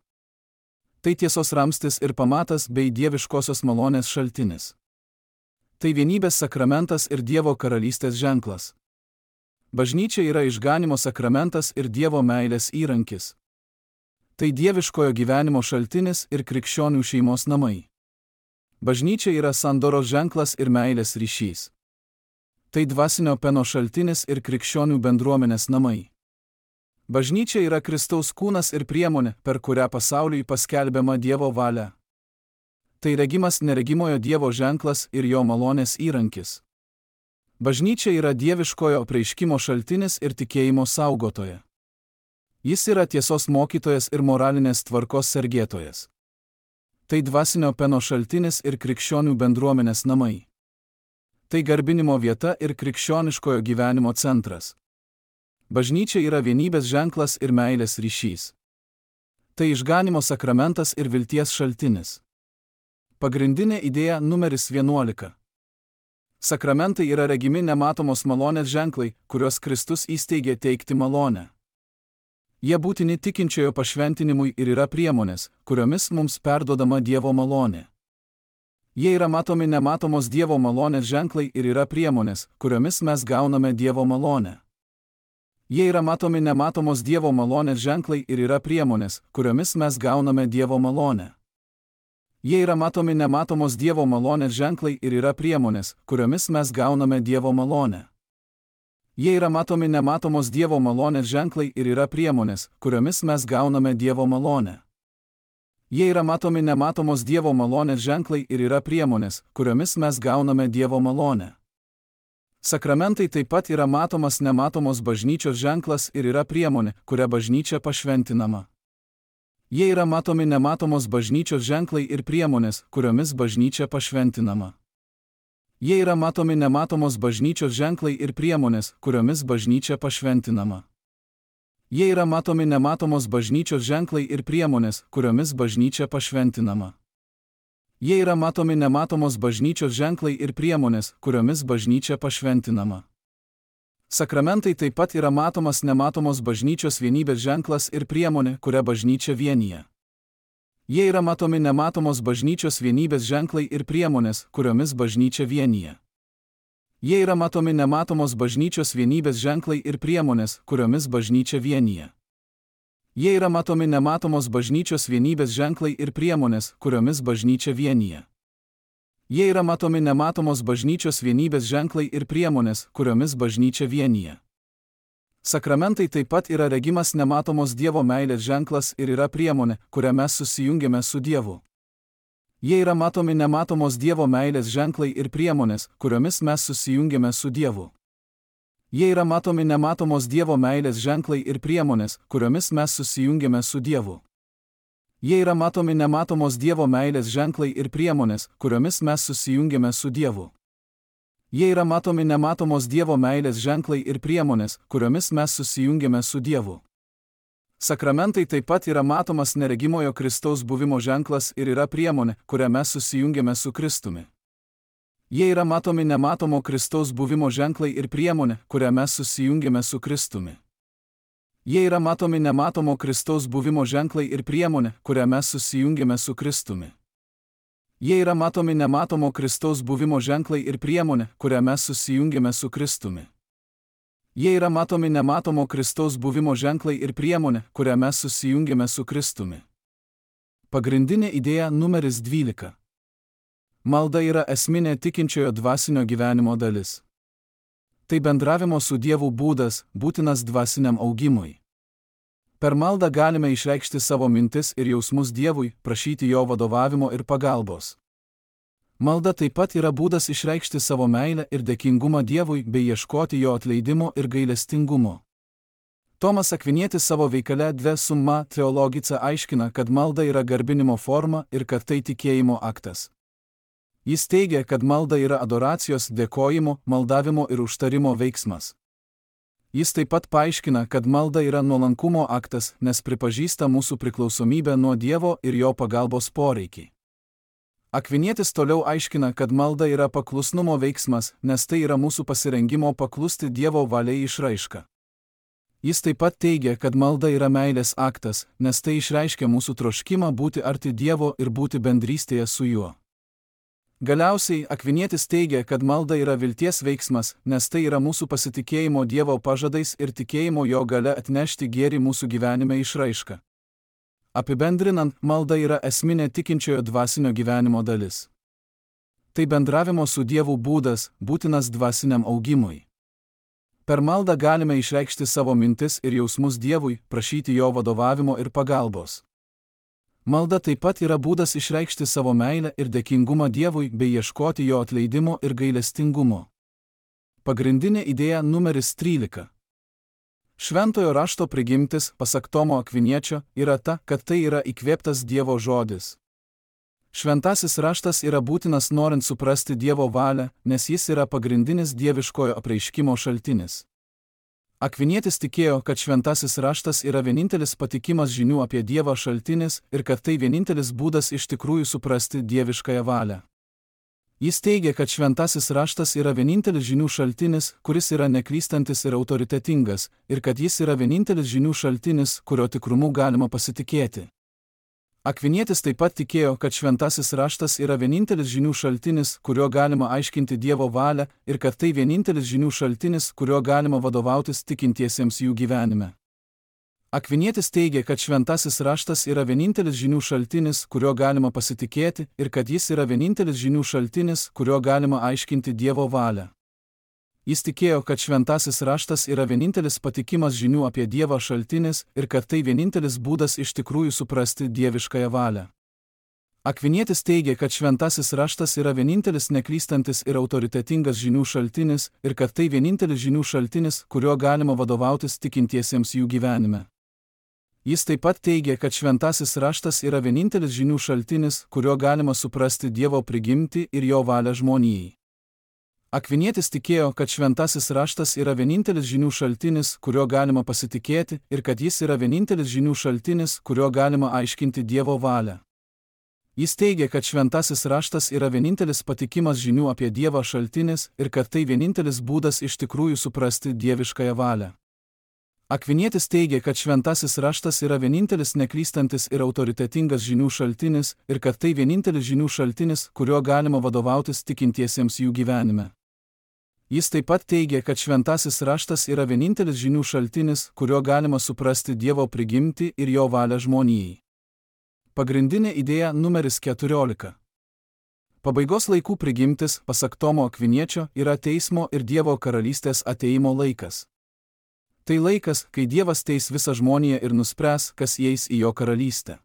Tai tiesos ramstis ir pamatas bei dieviškosios malonės šaltinis. Tai vienybės sakramentas ir Dievo karalystės ženklas. Bažnyčia yra išganimo sakramentas ir Dievo meilės įrankis. Tai dieviškojo gyvenimo šaltinis ir krikščionių šeimos namai. Bažnyčia yra sandoros ženklas ir meilės ryšys. Tai dvasinio peno šaltinis ir krikščionių bendruomenės namai. Bažnyčia yra Kristaus kūnas ir priemonė, per kurią pasauliui paskelbiama Dievo valia. Tai regimas neregimojo Dievo ženklas ir jo malonės įrankis. Bažnyčia yra dieviškojo apreiškimo šaltinis ir tikėjimo saugotoja. Jis yra tiesos mokytojas ir moralinės tvarkos sergėtojas. Tai dvasinio peno šaltinis ir krikščionių bendruomenės namai. Tai garbinimo vieta ir krikščioniškojo gyvenimo centras. Bažnyčia yra vienybės ženklas ir meilės ryšys. Tai išganimo sakramentas ir vilties šaltinis. Pagrindinė idėja numeris vienuolika. Sakramentai yra regimi nematomos malonės ženklai, kuriuos Kristus įsteigė teikti malonę. Jie būtini tikinčiojo pašventinimui ir yra priemonės, kuriomis mums perduodama Dievo malonė. Jie yra matomi nematomos Dievo malonės ženklai ir yra priemonės, kuriomis mes gauname Dievo malonę. Jie yra matomi nematomos Dievo malonės ženklai ir yra priemonės, kuriomis mes gauname Dievo malonę. Jie yra matomi nematomos Dievo malonės ženklai ir yra priemonės, kuriomis mes gauname Dievo malonę. Jie yra matomi nematomos Dievo malonės ženklai ir yra priemonės, kuriomis mes gauname Dievo malonę. Jie yra matomi nematomos Dievo malonės ženklai ir yra priemonės, kuriomis mes gauname Dievo malonę. Sakramentai taip pat yra matomas nematomos bažnyčios ženklas ir yra priemonė, kuria bažnyčia pašventinama. Jie yra matomi nematomos bažnyčios ženklai ir priemonės, kuriomis bažnyčia pašventinama. Jie yra matomi nematomos bažnyčios ženklai ir priemonės, kuriomis bažnyčia pašventinama. Jie yra matomi nematomos bažnyčios ženklai ir priemonės, kuriomis bažnyčia pašventinama. Jie yra matomi nematomos bažnyčios ženklai ir priemonės, kuriomis bažnyčia pašventinama. Sakramentai taip pat yra matomas nematomos bažnyčios vienybės ženklas ir priemonė, kuria bažnyčia vienija. Jie yra matomi nematomos bažnyčios vienybės ženklai ir priemonės, kuriomis bažnyčia vienija. Jie yra matomi nematomos bažnyčios vienybės ženklai ir priemonės, kuriomis bažnyčia vienija. Jie yra matomi nematomos bažnyčios vienybės ženklai ir priemonės, kuriomis bažnyčia vienija. Jie yra matomi nematomos bažnyčios vienybės ženklai ir priemonės, kuriomis bažnyčia vienija. Sakramentai taip pat yra regimas nematomos Dievo meilės ženklas ir yra priemonė, kuria mes susijungiame su Dievu. Jie yra matomi nematomos Dievo meilės ženklai ir priemonės, kuriomis mes susijungiame su Dievu. Jie yra matomi nematomos Dievo meilės ženklai ir priemonės, kuriomis mes susijungiame su Dievu. Jie yra matomi nematomos Dievo meilės ženklai ir priemonės, kuriomis mes susijungiame su Dievu. Jie yra matomi nematomos Dievo meilės ženklai ir priemonės, kuriomis mes susijungiame su Dievu. Sakramentai taip pat yra matomas neregimojo Kristaus buvimo ženklas ir yra priemonė, kuria mes susijungiame su Kristumi. Jie yra matomi nematomo Kristaus buvimo ženklai ir priemonė, kuria mes susijungiame su Kristumi. Jie yra matomi nematomo Kristaus buvimo ženklai ir priemonė, kuria mes susijungiame su Kristumi. Jie yra matomi nematomo Kristaus buvimo ženklai ir priemonė, kuria mes susijungiame su Kristumi. Jie yra matomi nematomo Kristaus buvimo ženklai ir priemonė, kuria mes susijungiame su Kristumi. Pagrindinė idėja numeris dvylika. Malda yra esminė tikinčiojo dvasinio gyvenimo dalis. Tai bendravimo su Dievu būdas, būtinas dvasiniam augimui. Per maldą galime išreikšti savo mintis ir jausmus Dievui, prašyti jo vadovavimo ir pagalbos. Malda taip pat yra būdas išreikšti savo meilę ir dėkingumą Dievui bei ieškoti jo atleidimo ir gailestingumo. Tomas Akvinietis savo veikale De Summa Theologica aiškina, kad malda yra garbinimo forma ir kad tai tikėjimo aktas. Jis teigia, kad malda yra adoracijos, dėkojimo, maldavimo ir užtarimo veiksmas. Jis taip pat paaiškina, kad malda yra nuolankumo aktas, nes pripažįsta mūsų priklausomybę nuo Dievo ir jo pagalbos poreikį. Akvinietis toliau aiškina, kad malda yra paklusnumo veiksmas, nes tai yra mūsų pasirengimo paklusti Dievo valiai išraiška. Jis taip pat teigia, kad malda yra meilės aktas, nes tai išreiškia mūsų troškimą būti arti Dievo ir būti bendrystėje su juo. Galiausiai, Akvinietis teigia, kad malda yra vilties veiksmas, nes tai yra mūsų pasitikėjimo Dievo pažadais ir tikėjimo jo galia atnešti gėrį mūsų gyvenime išraiška. Apibendrinant, malda yra esminė tikinčiojo dvasinio gyvenimo dalis. Tai bendravimo su Dievu būdas, būtinas dvasiniam augimui. Per maldą galime išreikšti savo mintis ir jausmus Dievui, prašyti jo vadovavimo ir pagalbos. Malda taip pat yra būdas išreikšti savo meilę ir dėkingumą Dievui bei ieškoti jo atleidimo ir gailestingumo. Pagrindinė idėja numeris trylika. Šventojo rašto prigimtis, pasak Tomo Akviniečio, yra ta, kad tai yra įkvėptas Dievo žodis. Šventasis raštas yra būtinas norint suprasti Dievo valią, nes jis yra pagrindinis dieviškojo apreiškimo šaltinis. Akvinietis tikėjo, kad šventasis raštas yra vienintelis patikimas žinių apie Dievą šaltinis ir kad tai vienintelis būdas iš tikrųjų suprasti dieviškąją valią. Jis teigia, kad šventasis raštas yra vienintelis žinių šaltinis, kuris yra neklystantis ir autoritetingas, ir kad jis yra vienintelis žinių šaltinis, kurio tikrumu galima pasitikėti. Akvinietis taip pat tikėjo, kad šventasis raštas yra vienintelis žinių šaltinis, kurio galima aiškinti Dievo valią, ir kad tai vienintelis žinių šaltinis, kurio galima vadovautis tikintiesiems jų gyvenime. Akvinietis teigia, kad šventasis raštas yra vienintelis žinių šaltinis, kurio galima pasitikėti, ir kad jis yra vienintelis žinių šaltinis, kurio galima aiškinti Dievo valią. Jis tikėjo, kad šventasis raštas yra vienintelis patikimas žinių apie Dievą šaltinis ir kad tai vienintelis būdas iš tikrųjų suprasti dieviškąją valią. Akvinietis teigia, kad šventasis raštas yra vienintelis neklystantis ir autoritetingas žinių šaltinis ir kad tai vienintelis žinių šaltinis, kurio galima vadovautis tikintiesiems jų gyvenime. Jis taip pat teigia, kad šventasis raštas yra vienintelis žinių šaltinis, kurio galima suprasti Dievo prigimtį ir jo valią žmonijai. Akvinietis tikėjo, kad šventasis raštas yra vienintelis žinių šaltinis, kurio galima pasitikėti, ir kad jis yra vienintelis žinių šaltinis, kurio galima aiškinti Dievo valią. Jis teigia, kad šventasis raštas yra vienintelis patikimas žinių apie Dievą šaltinis ir kad tai vienintelis būdas iš tikrųjų suprasti dieviškąją valią. Akvinietis teigia, kad šventasis raštas yra vienintelis neklystantis ir autoritetingas žinių šaltinis ir kad tai vienintelis žinių šaltinis, kurio galima vadovautis tikintiesiems jų gyvenime. Jis taip pat teigia, kad šventasis raštas yra vienintelis žinių šaltinis, kurio galima suprasti Dievo prigimtį ir jo valią žmonijai. Pagrindinė idėja numeris keturiolika. Pabaigos laikų prigimtis, pasak Tomo Akviniečio, yra teismo ir Dievo karalystės ateimo laikas. Tai laikas, kai Dievas teis visą žmoniją ir nuspręs, kas įeis į jo karalystę.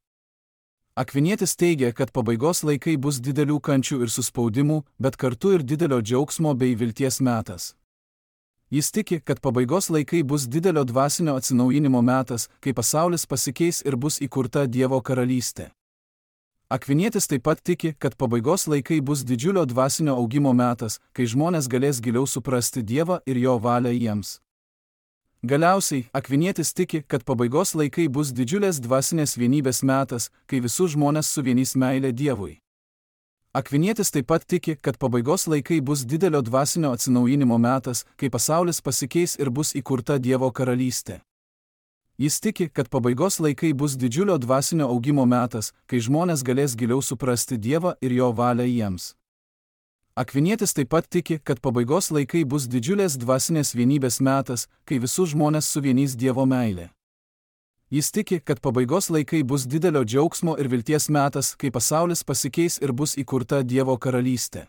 Akvinietis teigia, kad pabaigos laikai bus didelių kančių ir suspaudimų, bet kartu ir didelio džiaugsmo bei vilties metas. Jis tiki, kad pabaigos laikai bus didelio dvasinio atsinaujinimo metas, kai pasaulis pasikeis ir bus įkurta Dievo karalystė. Akvinietis taip pat tiki, kad pabaigos laikai bus didžiulio dvasinio augimo metas, kai žmonės galės giliau suprasti Dievą ir jo valią jiems. Galiausiai, Akvinietis tiki, kad pabaigos laikai bus didžiulės dvasinės vienybės metas, kai visus žmonės suvienys meilė Dievui. Akvinietis taip pat tiki, kad pabaigos laikai bus didelio dvasinio atsinaujinimo metas, kai pasaulis pasikeis ir bus įkurta Dievo karalystė. Jis tiki, kad pabaigos laikai bus didžiulio dvasinio augimo metas, kai žmonės galės giliau suprasti Dievą ir jo valią jiems. Akvinietis taip pat tiki, kad pabaigos laikai bus didžiulės dvasinės vienybės metas, kai visus žmonės suvienys Dievo meilė. Jis tiki, kad pabaigos laikai bus didelio džiaugsmo ir vilties metas, kai pasaulis pasikeis ir bus įkurta Dievo karalystė.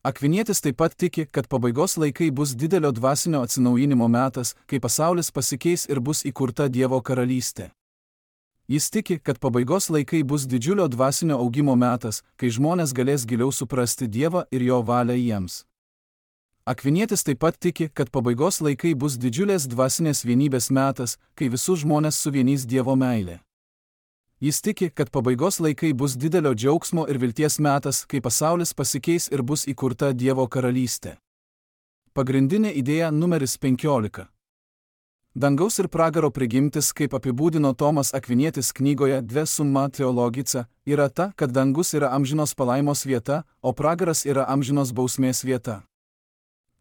Akvinietis taip pat tiki, kad pabaigos laikai bus didelio dvasinio atsinaujinimo metas, kai pasaulis pasikeis ir bus įkurta Dievo karalystė. Jis tiki, kad pabaigos laikai bus didžiulio dvasinio augimo metas, kai žmonės galės giliau suprasti Dievą ir jo valią jiems. Akvinietis taip pat tiki, kad pabaigos laikai bus didžiulės dvasinės vienybės metas, kai visus žmonės suvienys Dievo meilė. Jis tiki, kad pabaigos laikai bus didelio džiaugsmo ir vilties metas, kai pasaulis pasikeis ir bus įkurta Dievo karalystė. Pagrindinė idėja numeris penkiolika. Dangaus ir pragaro prigimtis, kaip apibūdino Tomas Akvinietis knygoje De Summa Theologica, yra ta, kad dangus yra amžinos palaimos vieta, o pragaras yra amžinos bausmės vieta.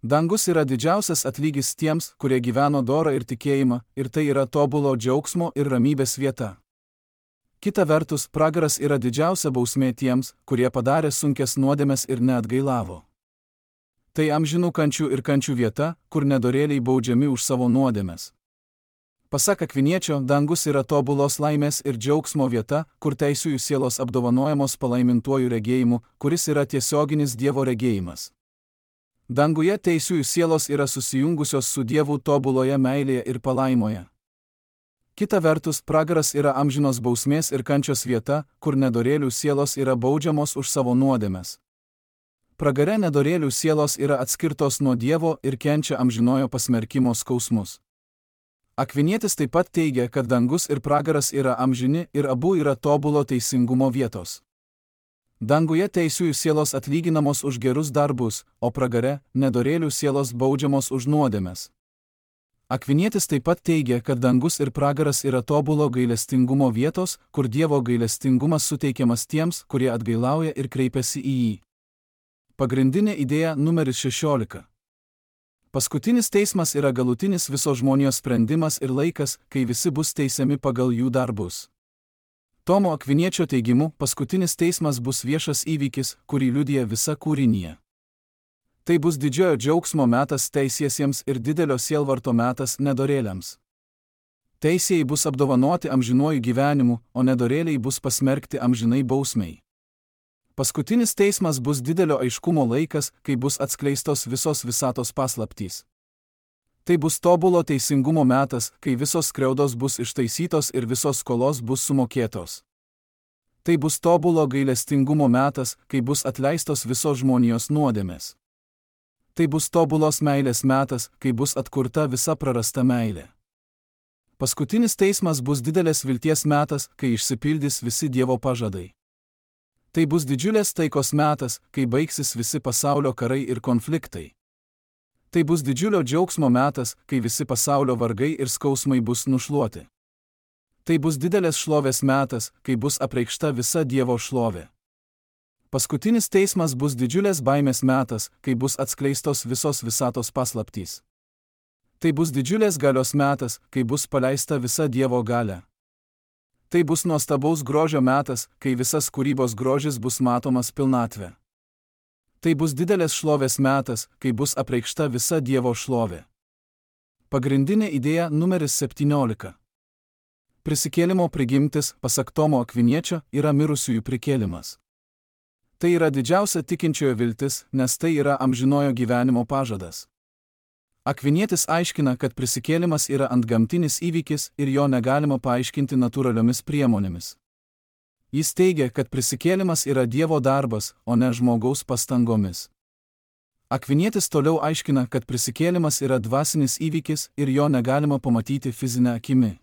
Dangus yra didžiausias atlygis tiems, kurie gyveno dorą ir tikėjimą, ir tai yra tobulo džiaugsmo ir ramybės vieta. Kita vertus, pragaras yra didžiausia bausmė tiems, kurie padarė sunkes nuodėmes ir neatgailavo. Tai amžinų kančių ir kančių vieta, kur nedorėliai baudžiami už savo nuodėmes. Pasak Akviniečio, dangus yra tobulos laimės ir džiaugsmo vieta, kur teisiųjų sielos apdovanojamos palaimintuoju regėjimu, kuris yra tiesioginis Dievo regėjimas. Danguje teisiųjų sielos yra susijungusios su Dievu tobuloje meilėje ir palaimoje. Kita vertus, pragaras yra amžinos bausmės ir kančios vieta, kur nedorėlių sielos yra baudžiamos už savo nuodėmes. Pragare nedorėlių sielos yra atskirtos nuo Dievo ir kenčia amžinojo pasmerkimo skausmus. Akvinietis taip pat teigia, kad dangus ir pragaras yra amžini ir abu yra tobulo teisingumo vietos. Danguje teisiųjų sielos atlyginamos už gerus darbus, o pragare nedorėlių sielos baudžiamos už nuodėmes. Akvinietis taip pat teigia, kad dangus ir pragaras yra tobulo gailestingumo vietos, kur Dievo gailestingumas suteikiamas tiems, kurie atgailauja ir kreipiasi į jį. Pagrindinė idėja numeris šešiolika. Paskutinis teismas yra galutinis visos žmonijos sprendimas ir laikas, kai visi bus teisiami pagal jų darbus. Tomo Akviniečio teigimu, paskutinis teismas bus viešas įvykis, kurį liudija visa kūrinija. Tai bus didžiojo džiaugsmo metas teisiesiems ir didelio sielvarto metas nedorėliams. Teisėjai bus apdovanoti amžinuoju gyvenimu, o nedorėliai bus pasmerkti amžinai bausmei. Paskutinis teismas bus didelio aiškumo laikas, kai bus atskleistos visos visatos paslaptys. Tai bus tobulo teisingumo metas, kai visos skriaudos bus ištaisytos ir visos skolos bus sumokėtos. Tai bus tobulo gailestingumo metas, kai bus atleistos visos žmonijos nuodėmės. Tai bus tobulos meilės metas, kai bus atkurta visa prarasta meilė. Paskutinis teismas bus didelės vilties metas, kai išsipildys visi Dievo pažadai. Tai bus didžiulės taikos metas, kai baigsis visi pasaulio karai ir konfliktai. Tai bus didžiulio džiaugsmo metas, kai visi pasaulio vargai ir skausmai bus nušluoti. Tai bus didelės šlovės metas, kai bus apreikšta visa Dievo šlovė. Paskutinis teismas bus didžiulės baimės metas, kai bus atskleistos visos visatos paslaptys. Tai bus didžiulės galios metas, kai bus paleista visa Dievo galia. Tai bus nuostabaus grožio metas, kai visas kūrybos grožis bus matomas pilnatvė. Tai bus didelės šlovės metas, kai bus apreikšta visa Dievo šlovė. Pagrindinė idėja numeris septyniolika. Prisikėlimo prigimtis, pasak Tomo Akviniečio, yra mirusiųjų prikėlimas. Tai yra didžiausia tikinčiojo viltis, nes tai yra amžinojo gyvenimo pažadas. Akvinietis aiškina, kad prisikėlimas yra antgamtinis įvykis ir jo negalima paaiškinti natūraliomis priemonėmis. Jis teigia, kad prisikėlimas yra Dievo darbas, o ne žmogaus pastangomis. Akvinietis toliau aiškina, kad prisikėlimas yra dvasinis įvykis ir jo negalima pamatyti fizinę akimi.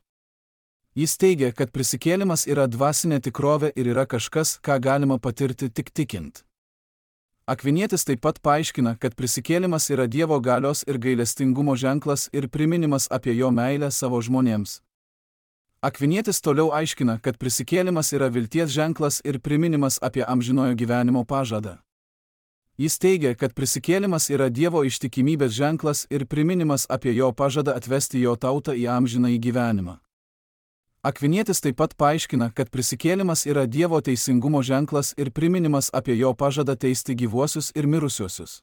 Jis teigia, kad prisikėlimas yra dvasinė tikrovė ir yra kažkas, ką galima patirti tik tikint. Akvinietis taip pat paaiškina, kad prisikėlimas yra Dievo galios ir gailestingumo ženklas ir priminimas apie jo meilę savo žmonėms. Akvinietis toliau aiškina, kad prisikėlimas yra vilties ženklas ir priminimas apie amžinojo gyvenimo pažadą. Jis teigia, kad prisikėlimas yra Dievo ištikimybės ženklas ir priminimas apie jo pažadą atvesti jo tautą į amžinąjį gyvenimą. Akvinietis taip pat paaiškina, kad prisikėlimas yra Dievo teisingumo ženklas ir priminimas apie jo pažadą teisti gyvuosius ir mirusiuosius.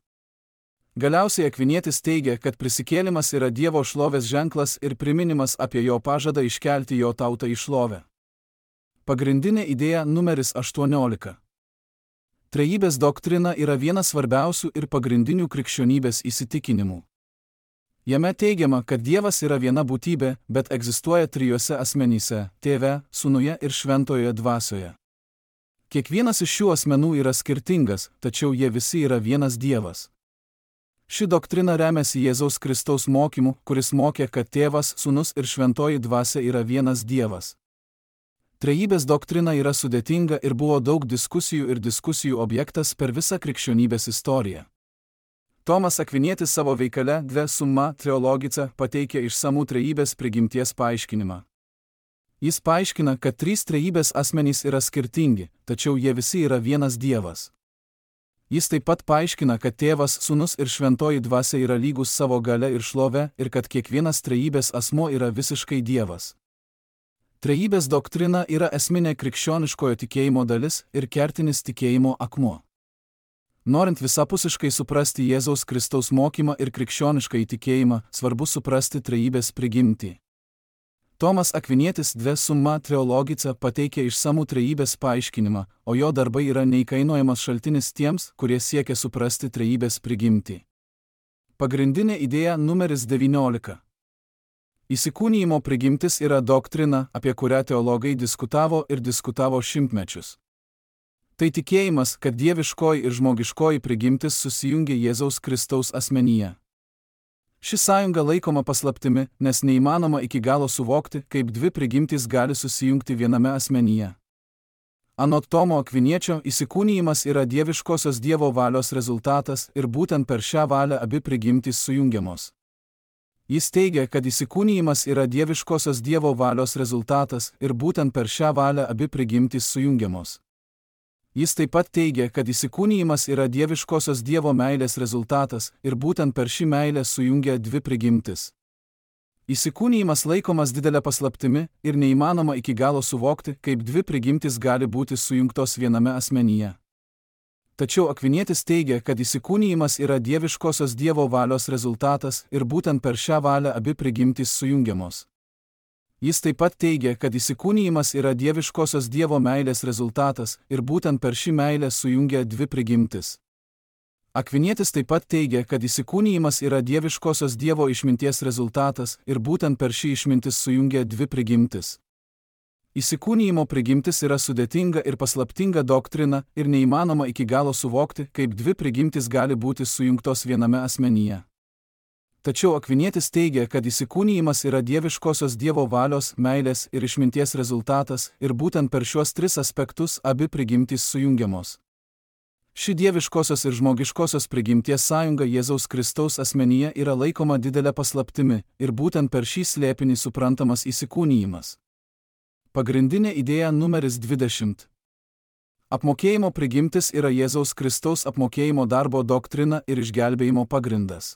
Galiausiai Akvinietis teigia, kad prisikėlimas yra Dievo šlovės ženklas ir priminimas apie jo pažadą iškelti jo tautą į šlovę. Pagrindinė idėja numeris aštuoniolika. Trejybės doktrina yra vienas svarbiausių ir pagrindinių krikščionybės įsitikinimų. Jame teigiama, kad Dievas yra viena būtybė, bet egzistuoja trijose asmenyse – Tėve, Sūnuje ir Šventojoje Dvasioje. Kiekvienas iš šių asmenų yra skirtingas, tačiau jie visi yra vienas Dievas. Ši doktrina remiasi Jėzaus Kristaus mokymu, kuris mokė, kad Tėvas, Sūnus ir Šventoji Dvasia yra vienas Dievas. Trejybės doktrina yra sudėtinga ir buvo daug diskusijų ir diskusijų objektas per visą krikščionybės istoriją. Tomas Akvinietis savo veikale De Summa Theologica pateikia išsamų trejybės prigimties paaiškinimą. Jis paaiškina, kad trys trejybės asmenys yra skirtingi, tačiau jie visi yra vienas Dievas. Jis taip pat paaiškina, kad Tėvas, Sūnus ir Šventoji Dvasia yra lygus savo galia ir šlove ir kad kiekvienas trejybės asmuo yra visiškai Dievas. Trejybės doktrina yra esminė krikščioniškojo tikėjimo dalis ir kertinis tikėjimo akmuo. Norint visapusiškai suprasti Jėzaus Kristaus mokymą ir krikščionišką įtikėjimą, svarbu suprasti trejybės prigimtį. Tomas Akvinietis De Summa Theologica pateikia išsamų trejybės paaiškinimą, o jo darbai yra neįkainojamas šaltinis tiems, kurie siekia suprasti trejybės prigimtį. Pagrindinė idėja numeris devyniolika. Įsikūnijimo prigimtis yra doktrina, apie kurią teologai diskutavo ir diskutavo šimtmečius. Tai tikėjimas, kad dieviškoji ir žmogiškoji prigimtis susijungia Jėzaus Kristaus asmenyje. Ši sąjunga laikoma paslaptimi, nes neįmanoma iki galo suvokti, kaip dvi prigimtys gali susijungti viename asmenyje. Anot Tomo Akviniečio, įsikūnijimas yra dieviškosios Dievo valios rezultatas ir būtent per šią valią abi prigimtys sujungiamos. Jis teigia, kad įsikūnijimas yra dieviškosios Dievo valios rezultatas ir būtent per šią valią abi prigimtys sujungiamos. Jis taip pat teigia, kad įsikūnijimas yra dieviškosios Dievo meilės rezultatas ir būtent per šį meilę sujungia dvi prigimtis. Įsikūnijimas laikomas didelė paslaptimi ir neįmanoma iki galo suvokti, kaip dvi prigimtis gali būti sujungtos viename asmenyje. Tačiau Akvinietis teigia, kad įsikūnijimas yra dieviškosios Dievo valios rezultatas ir būtent per šią valią abi prigimtys sujungiamos. Jis taip pat teigia, kad įsikūnijimas yra dieviškosios Dievo meilės rezultatas ir būtent per šį meilę sujungia dvi prigimtis. Akvinietis taip pat teigia, kad įsikūnijimas yra dieviškosios Dievo išminties rezultatas ir būtent per šį išmintis sujungia dvi prigimtis. Įsikūnijimo prigimtis yra sudėtinga ir paslaptinga doktrina ir neįmanoma iki galo suvokti, kaip dvi prigimtis gali būti sujungtos viename asmenyje. Tačiau Akvinietis teigia, kad įsikūnijimas yra dieviškosios Dievo valios, meilės ir išminties rezultatas ir būtent per šiuos tris aspektus abi prigimtys sujungiamos. Ši dieviškosios ir žmogiškosios prigimties sąjunga Jėzaus Kristaus asmenyje yra laikoma didelė paslaptimi ir būtent per šį slėpinį suprantamas įsikūnijimas. Pagrindinė idėja numeris dvidešimt. Apmokėjimo prigimtis yra Jėzaus Kristaus apmokėjimo darbo doktrina ir išgelbėjimo pagrindas.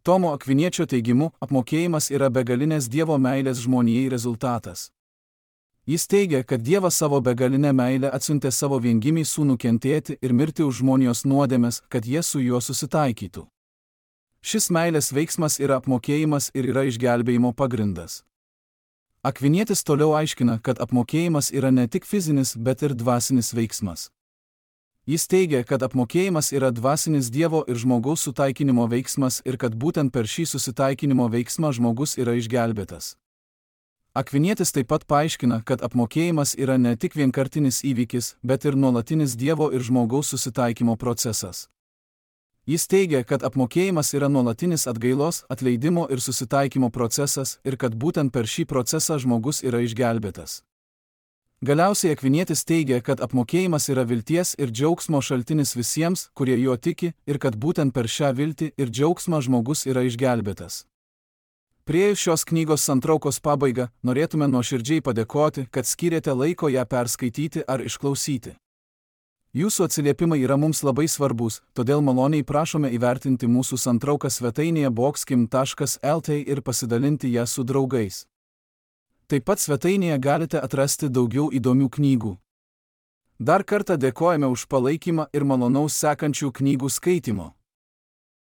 Tomo Akviniečio teigimu, apmokėjimas yra begalinės Dievo meilės žmonijai rezultatas. Jis teigia, kad Dievas savo begalinę meilę atsiuntė savo viengimį sūnų kentėti ir mirti už žmonijos nuodėmes, kad jie su juo susitaikytų. Šis meilės veiksmas yra apmokėjimas ir yra išgelbėjimo pagrindas. Akvinietis toliau aiškina, kad apmokėjimas yra ne tik fizinis, bet ir dvasinis veiksmas. Jis teigia, kad apmokėjimas yra dvasinis Dievo ir žmogaus sutaikinimo veiksmas ir kad būtent per šį susitaikinimo veiksmą žmogus yra išgelbėtas. Akvinietis taip pat paaiškina, kad apmokėjimas yra ne tik vienkartinis įvykis, bet ir nuolatinis Dievo ir žmogaus susitaikymo procesas. Jis teigia, kad apmokėjimas yra nuolatinis atgailos, atleidimo ir susitaikymo procesas ir kad būtent per šį procesą žmogus yra išgelbėtas. Galiausiai Akvinietis teigia, kad apmokėjimas yra vilties ir džiaugsmo šaltinis visiems, kurie juo tiki, ir kad būtent per šią viltį ir džiaugsmą žmogus yra išgelbėtas. Priėjus šios knygos santraukos pabaigą, norėtume nuoširdžiai padėkoti, kad skyrėte laiko ją perskaityti ar išklausyti. Jūsų atsiliepimai yra mums labai svarbus, todėl maloniai prašome įvertinti mūsų santrauką svetainėje bokskim taškas el tė ir pasidalinti ją su draugais. Taip pat svetainėje galite atrasti daugiau įdomių knygų. Dar kartą dėkojame už palaikymą ir malonaus sekančių knygų skaitimo.